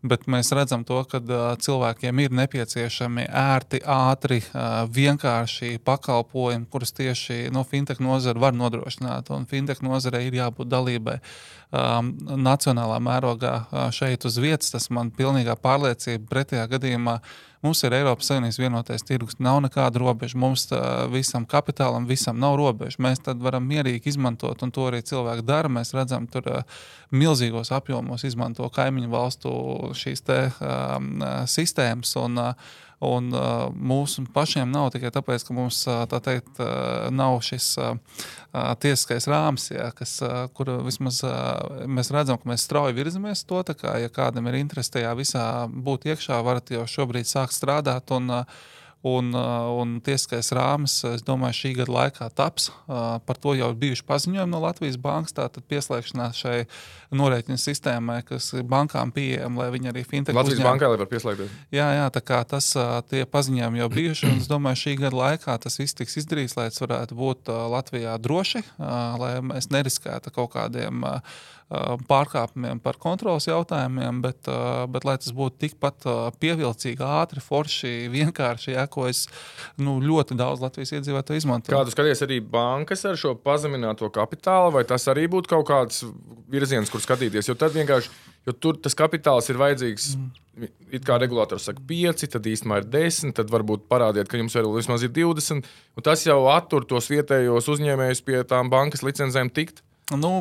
Bet mēs redzam to, ka uh, cilvēkiem ir nepieciešami ērti, ātri, uh, vienkārši pakalpojumi, kurus tieši no fintech nozara var nodrošināt. Un fintech nozarei ir jābūt dalībai um, nacionālā mērogā uh, šeit uz vietas. Tas man pilnīgā pārliecība. Pretējā gadījumā mums ir Eiropas Savienības vienotais tirgus, nav nekāda robeža. Mums uh, visam kapitālam, visam nav robeža. Mēs tad varam mierīgi izmantot, un to arī cilvēki dara. Mēs redzam, tur uh, milzīgos apjomos izmanto kaimiņu valstu šīs te um, sistēmas, un, un uh, mūsu pašiem nav tikai tāpēc, ka mums, tā teikt, uh, nav šis uh, tiesiskais rāms, ja, kas, uh, kur vismaz uh, mēs redzam, ka mēs strauji virzamies to, tā kā, ja kādam ir interesi tajā visā būt iekšā, varat jau šobrīd sākt strādāt, un uh, Un, un tiesiskais rāmis, es domāju, šī gada laikā taps. Par to jau ir bijuši paziņojumi no Latvijas bankas, tātad pieslēgšanās šai norēķinu sistēmai, kas bankām pieejama, lai viņi arī fintech Latvijas uzņēma. bankai, lai var pieslēgties. Jā, jā, tā kā tas, tie paziņojumi jau bijuši, un es domāju, šī gada laikā tas viss tiks izdarīts, lai tas varētu būt Latvijā droši, lai mēs neriskētu kaut kādiem pārkāpumiem par kontrolas jautājumiem, bet, bet lai tas būtu tikpat pievilcīgi, ātri, forši, vienkārši, jā, ko es nu, ļoti daudz Latvijas iedzīvotāju izmantoju. Kā tu skaties arī bankas ar šo pazemināto kapitālu, vai tas arī būtu kaut kāds virziens, kur skatīties? Jo tad vienkārši, jo tur tas kapitāls ir vajadzīgs, mm. it kā regulators saka pieci, tad īstenībā ir desmit, tad varbūt parādiet, ka jums vēl vismaz ir divdesmit, un tas jau attur tos vietējos uzņēmējus pie tām bankas licencēm tikt? Nu,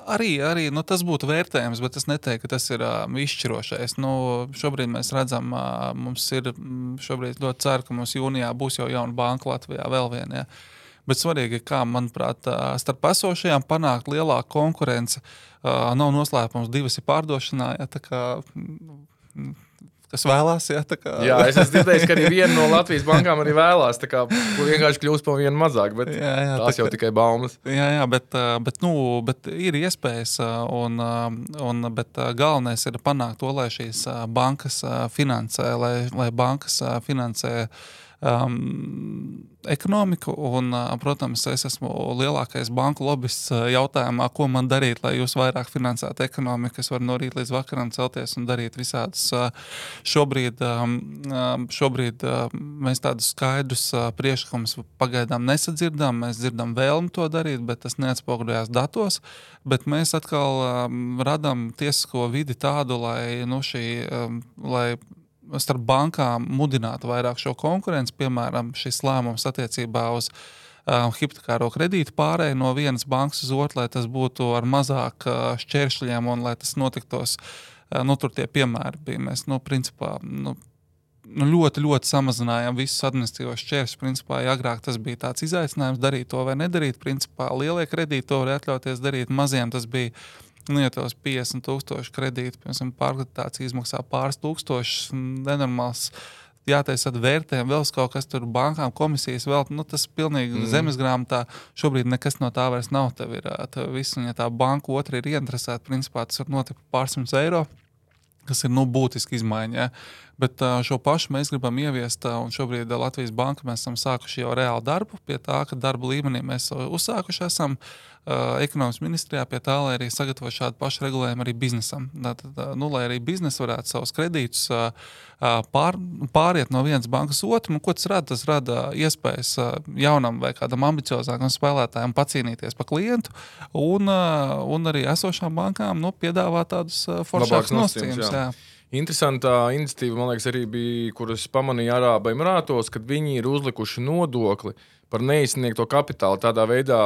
Arī, arī nu, tas būtu vērtējums, bet es neteiktu, ka tas ir uh, izšķirošais. Nu, šobrīd mēs redzam, uh, mums ir šobrīd ļoti ceru, ka mums jūnijā būs jau jauna banka Latvijā vēl viena. Ja. Bet svarīgi, kā, manuprāt, starp esošajām panākt lielāku konkurenci. Uh, nav noslēpums, divas ir pārdošanā, ja, tā kā, kas vēlās, ja, tā kā. Jā, es esmu dzirdējis, ka arī viena no Latvijas bankām arī vēlās, tā kā vienkārši kļūst par vienu mazāk, bet jā, jā, tās tā, jau tikai baumas. Jā, jā, bet, bet, nu, bet ir iespējas, un, un, bet galvenais ir panākt to, lai šīs bankas finansē, lai, lai bankas finansē um, ekonomiku, un, protams, es esmu lielākais banku lobists jautājumā, ko man darīt, lai jūs vairāk finansētu ekonomiku. Es varu no rīt līdz vakaram celties un darīt visādus. Šobrīd, šobrīd mēs tādus skaidrus priekšlikumus pagaidām nesadzirdam, mēs dzirdam vēlmi to darīt, bet tas neatspoguļojās datos, bet mēs atkal radam tiesisko vidi tādu, lai, nu, šī, lai starp bankām mudinātu vairāk šo konkurenci, piemēram, šis lēmums attiecībā uz uh, hipotekāro kredītu pārēju no vienas bankas uz otru, lai tas būtu ar mazāk uh, šķēršļiem un lai tas notiktos, uh, nu, tur tie piemēri bija. Mēs, nu, principā, nu, nu, ļoti, ļoti samazinājām visus administratīvos šķēršļus. Principā, ja agrāk tas bija tāds izaicinājums darīt to vai nedarīt, principā lielie kredīti to var atļauties darīt, maziem tas bija. Nu, ja tos piecdesmit tūkstoši kredīti, piemēram, pārkreditācija izmaksā pāris tūkstošus, nenormāls, jātaisa vērtējumi, vēl kaut kas tur bankām, komisijas vēl, nu, tas pilnīgi mm. zemesgrāmatā, šobrīd nekas no tā vairs nav, tev ir tev viss, un ja tā banka otra ir ieinteresēta, principā tas var notikt pārsimts eiro, kas ir, nu, būtiski izmaiņa, ja? Bet šo pašu mēs gribam ieviest, un šobrīd Latvijas banka mēs esam sākuši jau reāli darbu pie tā, ka darba līmenī mēs uzsākuši esam uh, ekonomikas ministrijā pie tā, lai arī sagatavo šādu pašu regulējumu arī biznesam. Tātad, nu, lai arī biznes varētu savus kredītus uh, pār, pāriet no vienas bankas otru, un ko tas rada? Tas rada iespējas uh, jaunam vai kādam ambiciozākam spēlētājam pacīnīties par klientu, un, uh, un arī esošām bankām, nu, piedāvā tādus uh, foršākus nosacījumus. Jā. Interesantā iniciatīva, man liekas, arī bija, kuras pamanīja Arābu Emirātos, kad viņi ir uzlikuši nodokli par neizsniegto kapitālu tādā veidā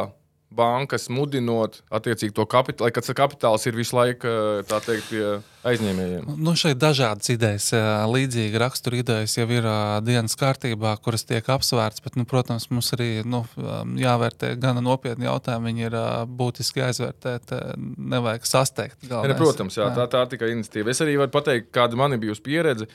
bankas mudinot attiecīgi to kapitālu, lai kāds kapitāls ir visu laiku, tā teikt, pie aizņēmējiem. Nu, šeit dažādas idejas, līdzīgi rakstura idejas jau ir dienas kārtībā, kuras tiek apsvērts, bet, nu, protams, mums arī, nu, jāvērtē gana nopietni jautājumi, viņi ir būtiski aizvērtēt, nevajag sasteigt. Ne, protams, jā, tā, tā tikai iniciatīva. Es arī varu pateikt, kāda man ir bijusi pieredze,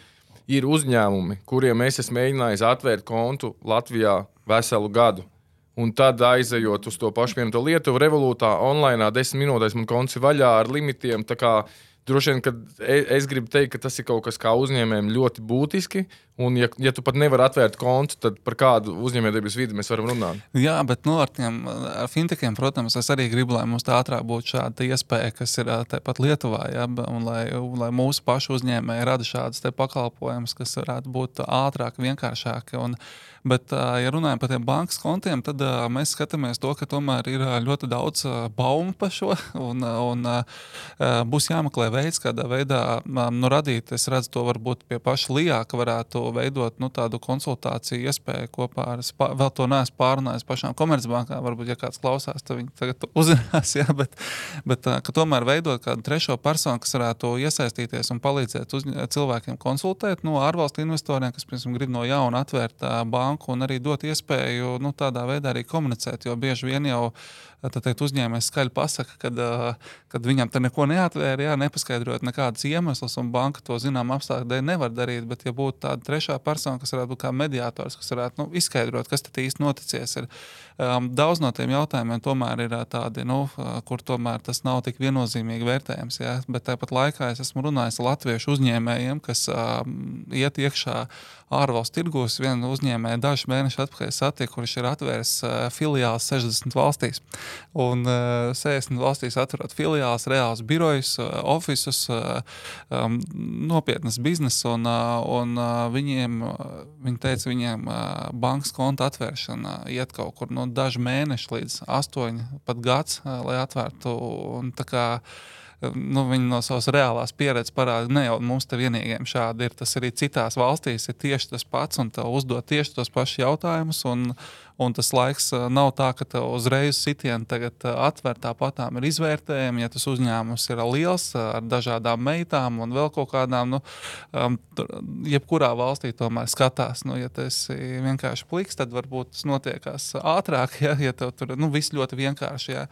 ir uzņēmumi, kuriem es esmu mēģinājis atvērt kontu Latvijā veselu gadu. Un tad aizejot uz to pašu vienu to Lietuvu revolūtā, online, desmit minūtēs man konts ir vaļā ar limitiem. Tā kā droši vien, ka es gribu teikt, ka tas ir kaut kas kā uzņēmējiem ļoti būtiski. Un ja, ja tu pat nevari atvērt kontu, tad par kādu uzņēmējdarbības vidi mēs varam runāt? Jā, bet nu, ar tiem ar fintekiem, protams, es arī gribu, lai mums tā ātrāk būtu šāda iespēja, kas ir tepat Lietuvā, ja, un lai, lai mūsu pašu uzņēmēji rada šādas te pakalpojumus, kas varētu būt ātrāk, vienkāršāk. Un, bet, ja runājam par tiem bankas kontiem, tad mēs skatāmies to, ka tomēr ir ļoti daudz baumu par šo, un, un būs jāmeklē veids, kādā veidā nu, radīt. Es redzu to varbūt pie paša Lijā, ka varētu veidot nu, tādu konsultāciju iespēju kopā ar, vēl to neesmu pārunājis pašām komercbankām, varbūt, ja kāds klausās, tad viņi tagad uzzinās, jā, bet, bet ka tomēr veidot kādu trešo personu, kas varētu iesaistīties un palīdzēt uz, cilvēkiem konsultēt, nu, ārvalstu investoriem, kas, piemēram, grib no jauna atvērt banku un arī dot iespēju, nu, tādā veidā arī komunicēt, jo bieži vien jau tā teikt, uzņēmējs skaļi pasaka, kad, kad viņam te neko neatvēra, jā, nepaskaidrot nekādas iemeslas, un banka to zinām apstākļu dēļ nevar darīt, bet ja būtu tāda trešā persona, kas varētu būt kā mediātors, kas varētu nu, izskaidrot, kas tad īsti noticies, ir um, daudz no tiem jautājumiem tomēr ir tādi, nu, kur tomēr tas nav tik viennozīmīgi vērtējams, jā, bet tāpat laikā es esmu runājis latviešu uzņēmējiem, kas um, iet iekšā ārvalstu tirgos. Vienu uzņēmēju dažus mēnešus atpakaļ satiku, kurš ir atvēris uh, filiāls sešdesmit valstīs. Un uh, sešdesmit valstīs atverot filiāls, reāls birojus, uh, ofisus, uh, um, nopietnas biznesa, un, uh, un uh, viņiem, uh, viņi teica, viņiem uh, bankas konta atvēršana iet kaut kur no dažu mēnešu līdz astoņi pat gads, uh, lai atvērtu, un tā kā nu, viņi no savas reālās pieredzes parāda, ne jau mums te vienīgiem šādi ir, tas arī citās valstīs ir tieši tas pats, un tev uzdot tieši tos pašus jautājumus, un, Un tas laiks uh, nav tā, ka tev uzreiz sitienu tagad uh, atver, tāpatām ir izvērtējumi. Ja tas uzņēmums ir liels uh, ar dažādām meitām un vēl kaut kādām, nu, um, tur, jebkurā valstī tomēr skatās. Nu, ja tas ir vienkārši pliks, tad varbūt tas notiekās ātrāk, ja, ja tev tur nu, viss ļoti vienkārši. Ja.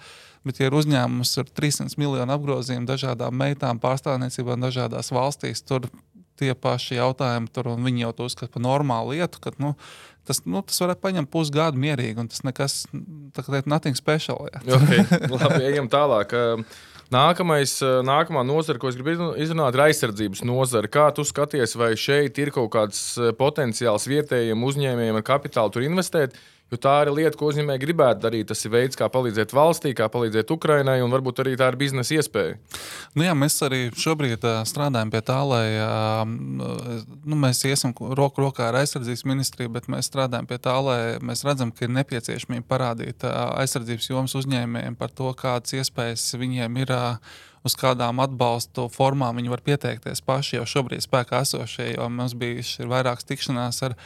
Bet, ja ir uzņēmums ar trīssimti miljonu apgrozījumu dažādām meitām pārstāvniecībām dažādās valstīs, tur tie paši jautājumi tur, un viņi jau to uzskata par normālu lietu, ka, nu, tas, nu, tas varētu paņemt pusgadu mierīgi, un tas nekas, tā kā teikt, nothing special. Ja. Okay, labi, ejam tālāk. Nākamais, nākamā nozara, ko es gribu izrunāt, ir aizsardzības nozara. Kā tu skaties, vai šeit ir kaut kāds potenciāls vietējiem uzņēmējiem ar kapitālu tur investēt? Jo tā ir lieta, ko uzņēmēji gribētu darīt. Tas ir veids, kā palīdzēt valstī, kā palīdzēt Ukrainai, un varbūt arī tā ir biznesa iespēja. Nu jā, mēs arī šobrīd uh, strādājam pie tā, lai uh, nu, mēs iesim roku rokā ar aizsardzības ministriju, bet mēs strādājam pie tā, lai mēs redzam, ka ir nepieciešamība parādīt uh, aizsardzības jomas uzņēmējiem par to, kādas iespējas viņiem ir, uh, uz kādām atbalstu formām viņi var pieteikties paši jau šobrīd spēkā esošie, jo mums bijuši vairākas tikšanās ar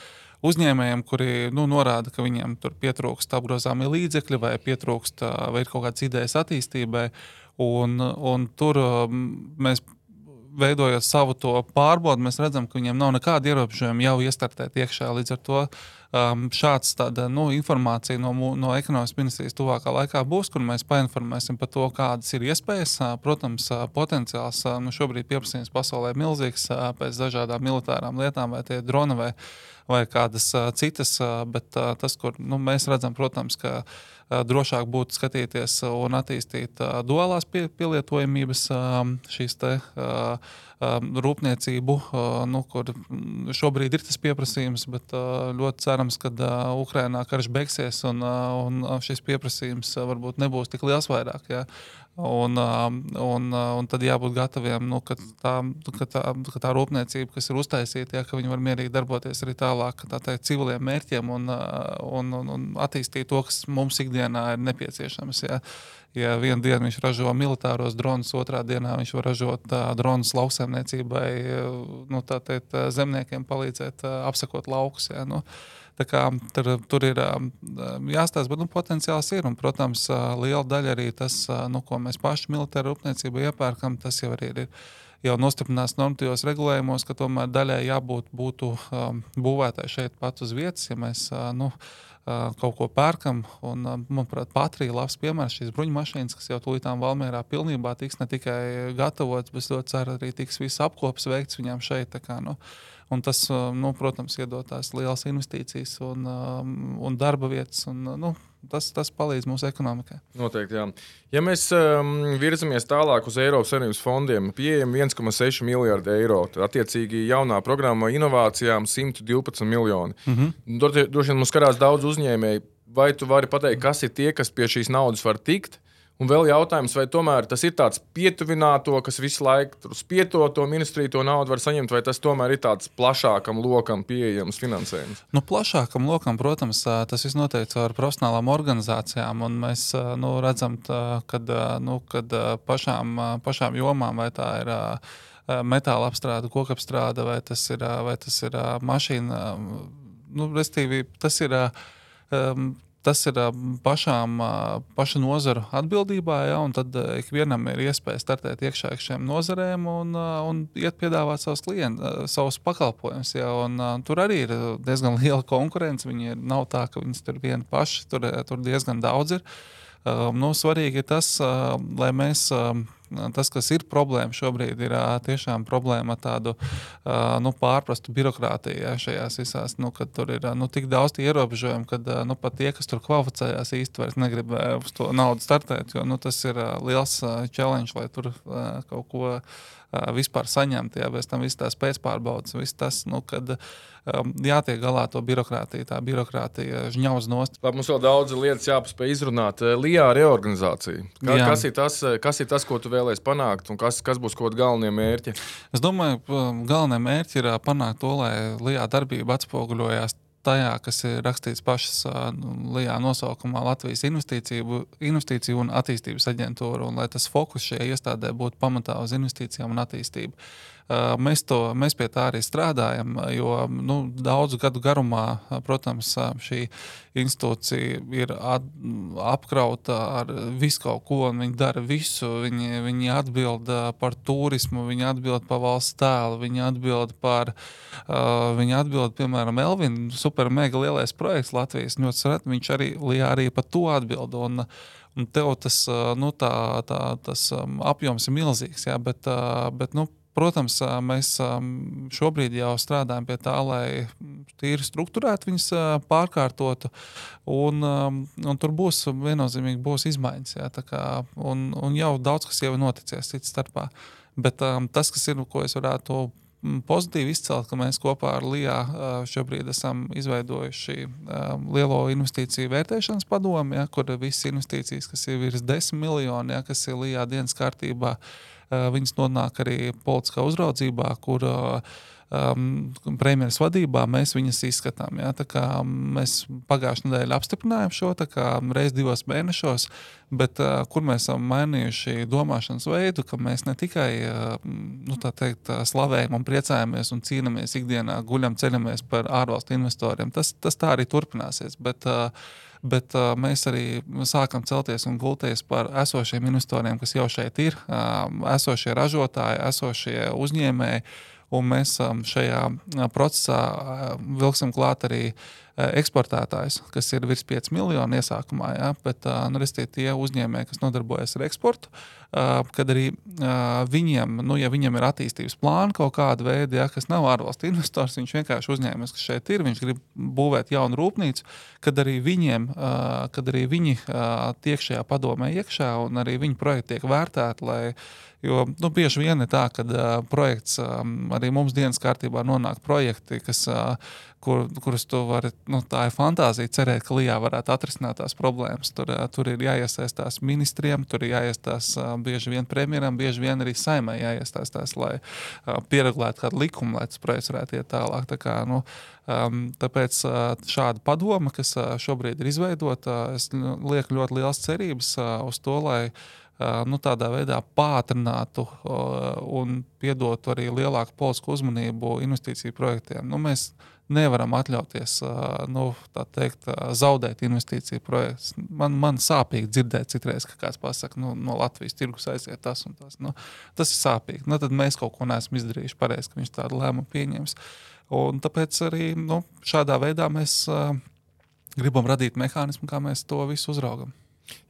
uzņēmējiem, kuri nu, norāda, ka viņiem tur pietrūkst apgrozāmie līdzekļi vai pietrūkst vai ir kaut kādas idejas attīstībai. Un, un tur mēs, veidojot savu to pārbaudu, mēs redzam, ka viņiem nav nekāda ierobežojuma jau iestartēt iekšā. Līdz ar to um, šāds tāda nu, informācija no, no ekonomikas ministrijas tuvākā laikā būs, kur mēs painformēsim par to, kādas ir iespējas. Protams, potenciāls nu, šobrīd pieprasījums pasaulē ir milzīgs pēc dažādām militārām lietām, vai tie droni vai vai kādas uh, citas, uh, bet uh, tas, kur nu, mēs redzam, protams, ka uh, drošāk būtu skatīties un attīstīt uh, duālās pie, pielietojamības uh, šīs te uh, uh, rūpniecību, uh, nu, kur šobrīd ir tas pieprasījums, bet uh, ļoti cerams, ka uh, Ukrainā karš beigsies un, uh, un šis pieprasījums uh, varbūt nebūs tik liels vairāk, ja. Un, un, un tad jābūt gataviem, nu, ka, tā, ka, tā, ka tā rūpniecība, kas ir uztaisīta, ja, ka viņi var mierīgi darboties arī tālāk tā teikt, civiliem mērķiem un, un, un, un attīstīt to, kas mums ikdienā ir nepieciešams. Ja, ja vienu dienu viņš ražo militāros dronus, otrā dienā viņš var ražot uh, dronus lauksaimniecībai, nu, tā teikt, zemniekiem palīdzēt uh, apsakot laukus. Ja, nu. Tā kā tur, tur ir jāstāsta, bet nu, potenciāls ir. Un, protams, liela daļa arī tas, nu, ko mēs paši militāra rūpniecība iepērkam, tas jau arī ir jau nostiprināts normatīvos regulējumos, ka tomēr daļai jābūt būtu um, būvētai šeit pat uz vietas, ja mēs uh, nu, uh, kaut ko pērkam. Un, uh, manuprāt, Patrija labs piemērs šīs bruņmašīnas, kas jau tūlītām Valmierā pilnībā tiks ne tikai gatavots, bet ļoti ceru arī tiks viss apkops veikts viņām šeit. Tā kā, nu, Un tas, nu, protams, iedod tās lielas investīcijas un, un darba vietas, un nu, tas, tas palīdz mūsu ekonomikai. Noteikti, jā. Ja mēs um, virzamies tālāk uz Eiropas Savienības fondiem, pieejam viens komats seši miljardi eiro, tad attiecīgi jaunā programma inovācijām simt divpadsmit miljoni. Mm-hmm. Droši vien mums skatās daudz uzņēmēji. Vai tu vari pateikt, kas ir tie, kas pie šīs naudas var tikt? Un vēl jautājums, vai tomēr tas ir tāds pietuvināto, kas visu laiku spieto to ministriju, to naudu var saņemt, vai tas tomēr ir tāds plašākam lokam pieejams finansējums? Nu, plašākam lokam, protams, tas viss noteikts ar profesionālām organizācijām, un mēs nu, redzam, kad, nu, kad pašām, pašām jomām, vai tā ir metāla apstrāde, kokapstrāde, vai tas ir, vai tas ir mašīna, nu, restīvi, tas ir... Um, Tas ir pašām, paša nozaru atbildībā, ja, un tad ikvienam ir iespēja startēt iekšā šiem nozarēm un, un iet piedāvāt savus klientus, savus pakalpojumus. Ja, un, tur arī ir diezgan liela konkurence. Viņi ir, nav tā, ka viņas tur vieni paši, tur, tur diezgan daudz ir. Um, nu, svarīgi ir tas, uh, lai mēs, uh, tas, kas ir problēma šobrīd, ir uh, tiešām problēma tādu uh, nu, pārprastu birokrātiju ja, šajās visās, nu, kad tur ir uh, nu, tik daudz ierobežojumu, kad uh, nu, pat tie, kas tur kvalificējās īsti vairs negrib uh, uz to naudu startēt, jo nu, tas ir uh, liels uh, challenge, lai tur uh, kaut ko uh, vispār saņemt, ja, bez tam viss tās pēcpārbaudas, viss tas, nu, kad um, jātiek galā to birokrātiju, tā birokrātija žņauz nost. Labi, mums vēl daudz lietas jāpaspēj izrunāt. Lijā reorganizācija. Ka, kas, ir tas, kas ir tas, ko tu vēlēsi panākt, un kas, kas būs kaut kādi galvenie mērķi? Es domāju, galvenie mērķi ir panākt to, lai Lijā darbība atspoguļojās tajā, kas ir rakstīts pašas Lijā nosaukumā Latvijas investīciju, investīciju un attīstības aģentūra, un lai tas fokus šajā iestādē būtu pamatā uz investīcijām un attīstību. Mēs, to, mēs pie tā arī strādājam, jo nu, daudzu gadu garumā, protams, šī institūcija ir at, apkrauta ar visu kaut ko, un viņi dara visu. Viņi, viņi atbild par turismu, viņi atbild par valsts tēlu, viņi atbild par, uh, viņi atbild, piemēram, Elvin, super mega lielais projekts Latvijas, ļoti sret, viņš arī, arī par to atbild, un Un tev tas, nu, tā, tā, tas apjoms ir milzīgs, jā, bet, bet nu, protams, mēs šobrīd jau strādājam pie tā, lai tīri strukturēt viņus pārkārtotu, un, un tur būs viennozīmīgi būs izmaiņas, jā, tā kā, un, un jau daudz, kas jau ir noticies cits starpā. Bet tas, kas ir, ko es varētu pozitīvi izcelt, ka mēs kopā ar L I A šobrīd esam izveidojuši lielo investīciju vērtēšanas padomu, ja, kur visas investīcijas, kas ir virs desmit miljoni, ja, kas ir L I A dienas kārtībā, viņas nonāk arī politiskā uzraudzībā, kur um, premjeras vadībā mēs viņas izskatām. Ja, tā kā mēs pagājušajā nedēļā apstiprinājām šo, tā kā reiz divos mēnešos, bet uh, kur mēs esam mainījuši domāšanas veidu, ka mēs ne tikai uh, nu, tā teikt, slavējam un priecājamies un cīnamies ikdienā, guļam, ceļamies par ārvalstu investoriem. Tas, tas tā arī turpināsies, bet, uh, bet uh, mēs arī sākam celties un gulties par esošiem investoriem, kas jau šeit ir, uh, esošie ražotāji, esošie uzņēmēji, un mēs um, šajā procesā uh, vilksim klāt arī eksportētājs, kas ir virs pieci miljoni iesākumā, ja, bet nu, tie uzņēmēji, kas nodarbojas ar eksportu, kad arī viņiem, nu, ja viņam ir attīstības plāni kaut kāda veida, ja, kas nav ārvalstu investors, viņš vienkārši uzņēmēs, kas šeit ir, viņš grib būvēt jaunu rūpnīcu, kad arī viņiem, kad arī viņi tiek šajā padomē iekšā un arī viņu projekti tiek vērtēti, lai Jo nu, bieži vien ir tā, ka uh, projekts um, arī mums dienas kārtībā nonāk projekti, kas, uh, kur, kurus tu vari, nu, tā ir fantāzija, cerēt, ka L I A varētu atrisināt tās problēmas. Tur, uh, tur ir jāiesaistās ministriem, tur ir jāiestās uh, bieži vien premjeram, bieži vien arī saimai jāiestāstās, lai uh, pieregulētu kādu likumu, lai tas projekts varētu iet tālāk. Tā kā, nu, um, tāpēc uh, šāda padoma, kas uh, šobrīd ir izveidota, uh, es lieku ļoti liels cerības uh, uz to, lai nu, tādā veidā pātrinātu un piedotu arī lielāku politisku uzmanību investīciju projektiem. Nu, mēs nevaram atļauties nu, tā teikt, zaudēt investīciju projektus. Man, man sāpīgi dzirdēt citreiz, ka kāds pasaka, nu, no Latvijas tirgus aiziet tas un tas. Nu, tas ir sāpīgi. Nu, tad mēs kaut ko neesam izdarījuši pareizi, ka viņš tādu lēmumu pieņems. Un tāpēc arī nu, šādā veidā mēs uh, gribam radīt mehānismu, kā mēs to visu uzraugam.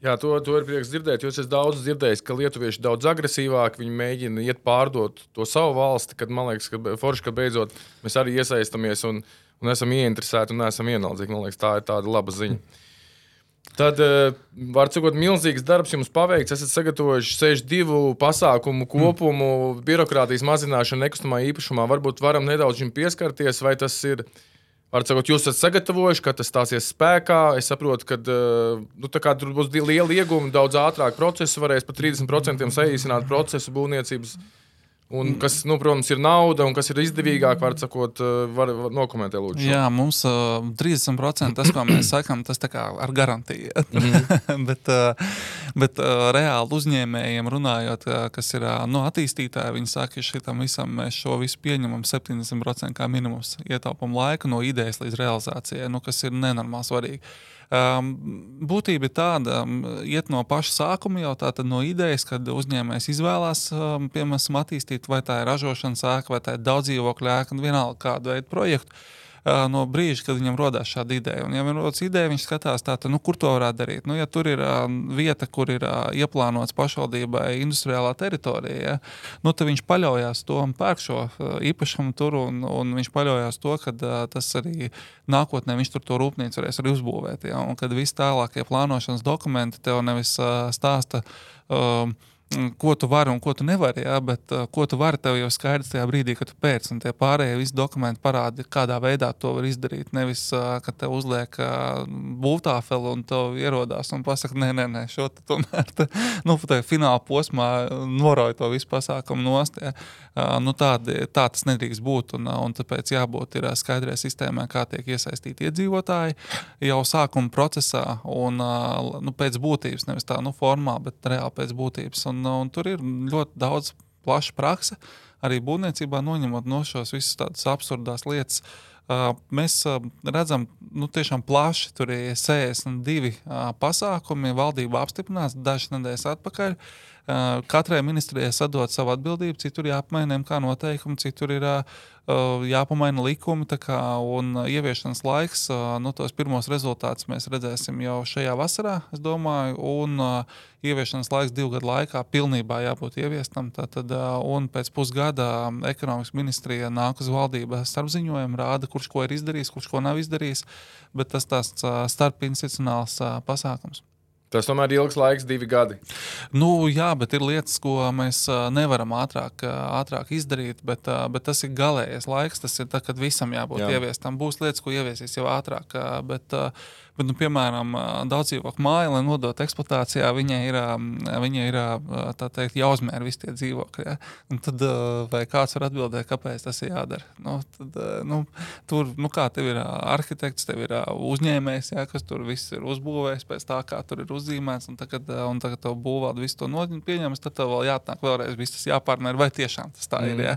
Jā, to, to ir prieks dzirdēt, jo es esmu daudz dzirdējis, ka lietuvieši daudz agresīvāk, viņi mēģina iet pārdot to savu valsti, kad man liekas, ka forši, ka beidzot mēs arī iesaistamies un, un esam ieinteresēti un neesam vienaldzīgi. Man liekas, tā ir tāda laba ziņa. Tad, var cikot, milzīgs darbs jums paveikts, esat sagatavojuši sešdesmit divu pasākumu kopumu, mm. birokrātijas mazināšanu nekustamā īpašumā. Varbūt varam nedaudz šim pieskarties, vai tas ir... Var sakot, jūs esat sagatavojuši, ka tas stāsies spēkā. Es saprotu, ka nu, tur būs liela ieguma, daudz ātrāk procesu, varēs par trīsdesmit procentiem saīsināt procesu būvniecības. Un kas, nu, protams, ir nauda un kas ir izdevīgāk, var sakot, var, var nokomentēt lūdzu. Jā, mums uh, trīsdesmit procenti tas, ko mēs sakam, tas tā kā ar garantiju. Mm-hmm. bet uh, bet uh, reāli uzņēmējiem runājot, uh, kas ir uh, no attīstītāji, viņi saka, ka šitam visam mēs šo visu pieņemam septiņdesmit procenti kā minimums ietaupam laika no idejas līdz realizācijai, nu, kas ir nenormāli svarīgi. Um, būtība ir tāda, um, iet no paša sākuma jau tātad no idejas, kad uzņēmējs izvēlās, um, piemēram, attīstīt, vai tā ir ražošanas ēka, vai tā ir daudzdzīvokļu ēka, un vienalga kādu veidu projektu, uh, no brīža, kad viņam rodās šāda ideja. Un ja viņam rodas ideja, viņš skatās tātad, nu, kur to varētu darīt. Nu, ja tur ir uh, vieta, kur ir uh, ieplānots pašvaldībai industriālā teritorija, ja, nu, tad viņš paļaujās to un pērk šo uh, īpašumu tur, un, un viņš paļaujās to, ka uh, tas arī nākotnē viņš tur to rūpnīcu varēs arī uzbūvēt. Ja? Un kad visi tālākie plānošanas dokumenti tev nevis uh, stāsta, uh, ko tu vari un ko tu nevari, ja? Bet uh, ko tu vari, tev jau skaidrs tajā brīdī, kad tu pēc, un tie pārējie visi dokumenti parāda, kādā veidā to var izdarīt. Nevis, uh, ka tev uzliek uh, būvtāfeli un tev ierodās un pasaka, nē, nē, nē, šo te tomēr, te, nu, tā fināla posmā noroja to visu pasākumu nost. Ja? Uh, nu, tādi, tā tas nedrīkst būt, un, un tāpēc jābūt ir skaidrē sistēmā, kā tiek iesaistīti iedzīvotāji jau sākuma procesā, un uh, nu, pēc būtības, nevis tā, nu, formā, bet reāli pēc būtības. Un, un tur ir ļoti daudz plaša prakse arī būvniecībā noņemot no šos visus tādas absurdās lietas. Uh, mēs uh, redzam, nu, tiešām plaši tur ir sešdesmit divi uh, pasākumi, valdība apstiprināts dažas nedēļas atpakaļ. Uh, katrai ministrijai sadot savu atbildību, citur jāapmaina kā noteikumi, citur ir uh, jāpamaina likumi, tā kā, un ieviešanas laiks, uh, nu, tos pirmos rezultātus mēs redzēsim jau šajā vasarā, es domāju, un uh, ieviešanas laiks divu gadu laikā pilnībā jābūt ieviestam, tātad, uh, un pēc pusgada ekonomikas ministrija nāk uz valdību starpziņojumu, rāda, kurš ko ir izdarījis, kurš ko nav izdarījis, bet tas tās uh, starpinstitucionāls uh, pasākums. Tas tomēr ir ilgs laiks, divi gadi. Nu, jā, bet ir lietas, ko mēs uh, nevaram ātrāk, uh, ātrāk izdarīt, bet, uh, bet tas ir galējais laiks, tas ir tā, kad visam jābūt jā. ieviestam. Būs lietas, ko ieviesīs jau ātrāk, uh, bet, uh, bet nu, piemēram, uh, daudzdzīvokļu māja, lai nodot eksploatācijā, viņai ir, uh, viņai ir uh, tā teikt, jāuzmēr visi tie dzīvokļi. Ja? Un tad, uh, vai kāds var atbildēt, kāpēc tas ir jādara? Nu, tad, uh, nu, tur, nu kā, tev ir uh, arhitekts, tev ir uh, uzņēmējs, ja, kas tur viss ir uzbūvējis pēc tā, kā tur ir uzzīmēts, un tagad, un tagad tev būvvalde visu to pieņems, tad tev vēl jāatnāk vēlreiz viss tas jāpārmēr, vai tiešām tas tā mm. ir, ja?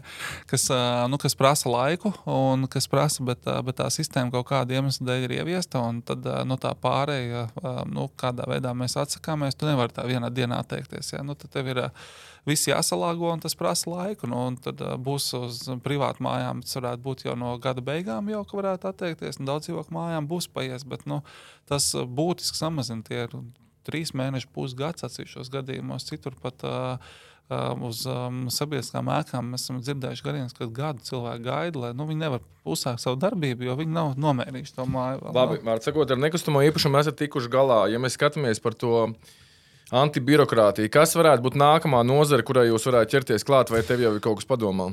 kas, nu, kas prasa laiku, un kas prasa, bet, bet tā sistēma kaut kāda iemesla dēļ ir ieviesta, un tad nu, tā pārēja, nu, kādā veidā mēs atsakāmies, tu nevari tā vienā dienā atteikties, ja? Nu, tad tev ir viss jāsalāgo, un tas prasa laiku, nu, un tad būs uz privātu mājām, tas varētu būt jau no gada beigām jau, ka varētu atteikties, un daudz dzīvokļu mājām būs paies, bet, nu, tas būtiski samazina tie trīs mēneši, pusgads atsevišķos gadījumos, citur pat uh, uh, uz um, sabiedriskām ēkām mēs esam dzirdējuši gadījums, kad gadu cilvēki gaida, lai nu, viņi nevar uzsākt savu darbību, jo viņi nav nomērījuši to māju. Vēl, Labi, var sakot, ar nekustamo īpašumu esat tikuši galā. Ja mēs skatāmies par to antibirokrātiju, kas varētu būt nākamā nozara, kurai jūs varētu ķerties klāt, vai tev jau ir kaut kas padomā?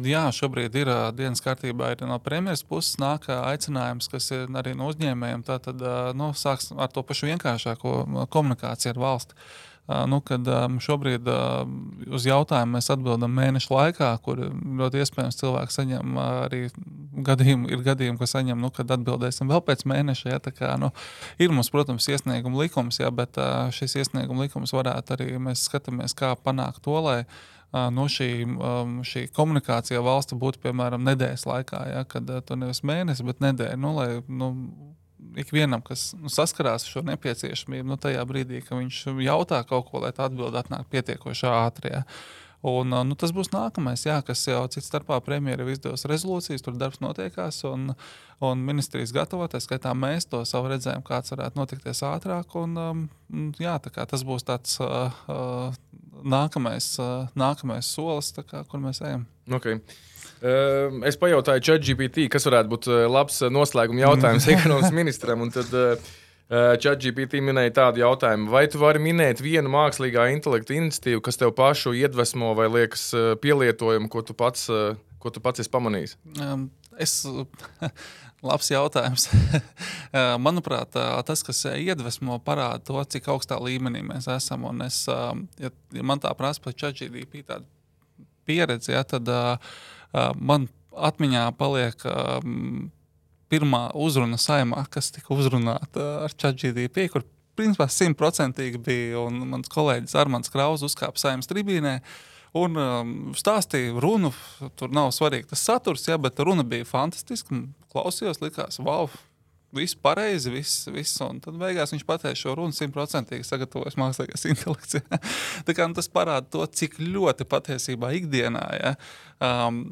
Jā, šobrīd ir dienas kārtībā ir no premjeras puses nāk aicinājums, kas ir arī no uzņēmējiem, tātad nu, sāks ar to pašu vienkāršāko komunikāciju ar valsti. Nu, kad šobrīd uz jautājumu mēs atbildam mēnešu laikā, kur ļoti iespējams cilvēki saņem arī gadījumi, ir gadījumi, ko saņem, nu, kad atbildēsim vēl pēc mēneša, ja, tā kā, nu, ir mums, protams, iesnieguma likums, ja, bet šis iesnieguma likums varētu arī, mēs skatāmies, kā panākt to, lai no šī, šī komunikācija valsti būtu, piemēram, nedēļas laikā, ja, kad to nevis mēnesi, bet nedēļa, nu, lai, nu, ikvienam, kas nu, saskarās ar šo nepieciešamību, nu, tajā brīdī, ka viņš jautā kaut ko, lai tā atbilde atnāk pietiekoši ātri. Ja. Un, nu, tas būs nākamais, jā, kas jau cits starpā premjera jau izdevusi rezolūcijas, tur darbs notiekās, un, un ministrijas gatavoties, skaitā mēs to savu redzējumu, kāds varētu notikties ātrāk, un jā, tā kā tas būs tāds uh, uh, nākamais, uh, nākamais solis, tā kā, kur mēs ejam. Okay. Uh, es pajautāju ChatGPT, kas varētu būt labs noslēguma jautājums ekonomikas ministram, un tad uh, ChatGPT minēja tādu jautājumu, vai tu vari minēt vienu mākslīgā intelekta iniciatīvu, kas tev pašu iedvesmo vai liekas uh, pielietojumu, ko tu pats, uh, ko tu pats esi pamanījis? Um, es... Labs jautājums. Manuprāt, tas, kas iedvesmo, parāda to, cik augstā līmenī mēs esam, un es, ja, ja man tā prasa par ChatGPT tādu pieredzi, ja, tad uh, man atmiņā paliek uh, pirmā uzruna saimā, kas tika uzrunāta ar ChatGPT, kur principā simtprocentīgi bija, un mans kolēģis Armands Kraus uzkāpa saimas tribīnē, un um, stāstīja runu, tur nav svarīgi tas saturs, ja, bet runa bija fantastiska, klausījos, likās, wow, viss pareizi, viss, viss, un tad beigās viņš pateica šo runu simtprocentīgi sagatavojas mākslīgais intelekts. Ja. Tā kā nu, tas parāda to, cik ļoti patiesībā ikdienā, ja, um,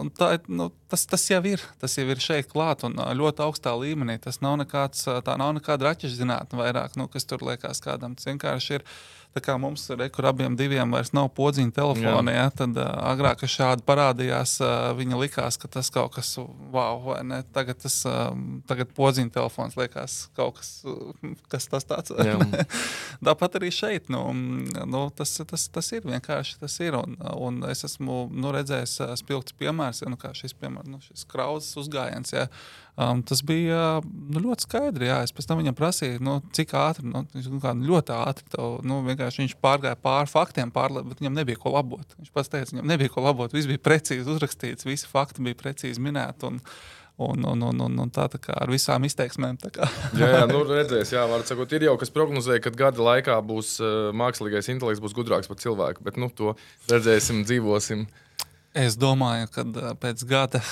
un tā, nu, tas, tas jau ir, tas jau ir šeit klāt, un ļoti augstā līmenī, tas nav nekāds, tā nav nekāda raķešu zinātne vairāk, nu, kas tur liekas kādam, tas vienkārši ir. Tā kā mums ir, kur abiem diviem vairs nav podziņa telefona, ja, tad uh, agrāk, kad šādi parādījās, uh, viņa likās, ka tas kaut kas, wow, vai ne, tagad tas, uh, tagad podziņa telefons liekas kaut kas, uh, kas tas tāds. Tāpat arī šeit, nu, nu tas, tas, tas ir vienkārši, tas ir, un, un es esmu, nu, redzējis uh, spilgts piemērs, ja, nu, kā šis piemērs, nu, šis krauzes uzgājiens, ja, Um, tas bija nu, ļoti skaidri, jā. Es pēc tam viņam prasīju, nu, cik ātri, nu, kā, ļoti ātri, tev, nu, vienkārši viņš pārgāja pāri faktiem, pār, bet viņam nebija ko labot. Viņš pats teica, viņam nebija ko labot, viss bija precīzi uzrakstīts, visi fakti bija precīzi minēti, un, un, un, un, un, un tā, tā kā ar visām izteiksmēm. Tā kā. jā, jā, nu redzēs, jā, var sakot, ir jau, kas prognozēja, ka gada laikā būs uh, mākslīgais intelekts būs gudrāks par cilvēku, bet, nu, to redzēsim, dzīvosim. Es domāju, ka pēc gada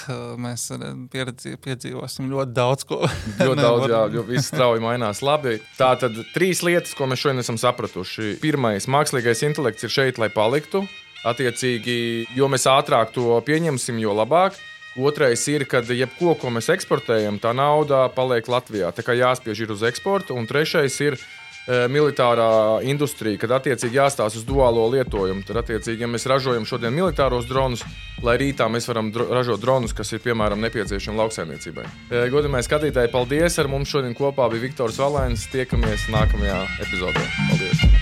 mēs pieredzi, piedzīvosim ļoti daudz ko. Ļoti daudz, jā, jo viss strauji mainās. Labi, tā tad trīs lietas, ko mēs šodien esam sapratuši. Pirmais, mākslīgais intelekts ir šeit, lai paliktu. Attiecīgi, jo mēs ātrāk to pieņemsim, jo labāk. Otrais ir, ka jebko, ko mēs eksportējam, tā nauda paliek Latvijā. Tā kā jāspiež ir uz eksportu. Un trešais ir e, militārā industrija, kad attiecīgi jāstāsta uz duālo lietojumu. Tad, attiecīgi, ja mēs ražojam šodien militāros dronus, lai rītā mēs varam dro, ražot dronus, kas ir, piemēram, nepieciešami lauksaimniecībai. E, godamie skatītāji, paldies! Ar mums šodien kopā bija Viktors Valēns. Tiekamies nākamajā epizodē. Paldies!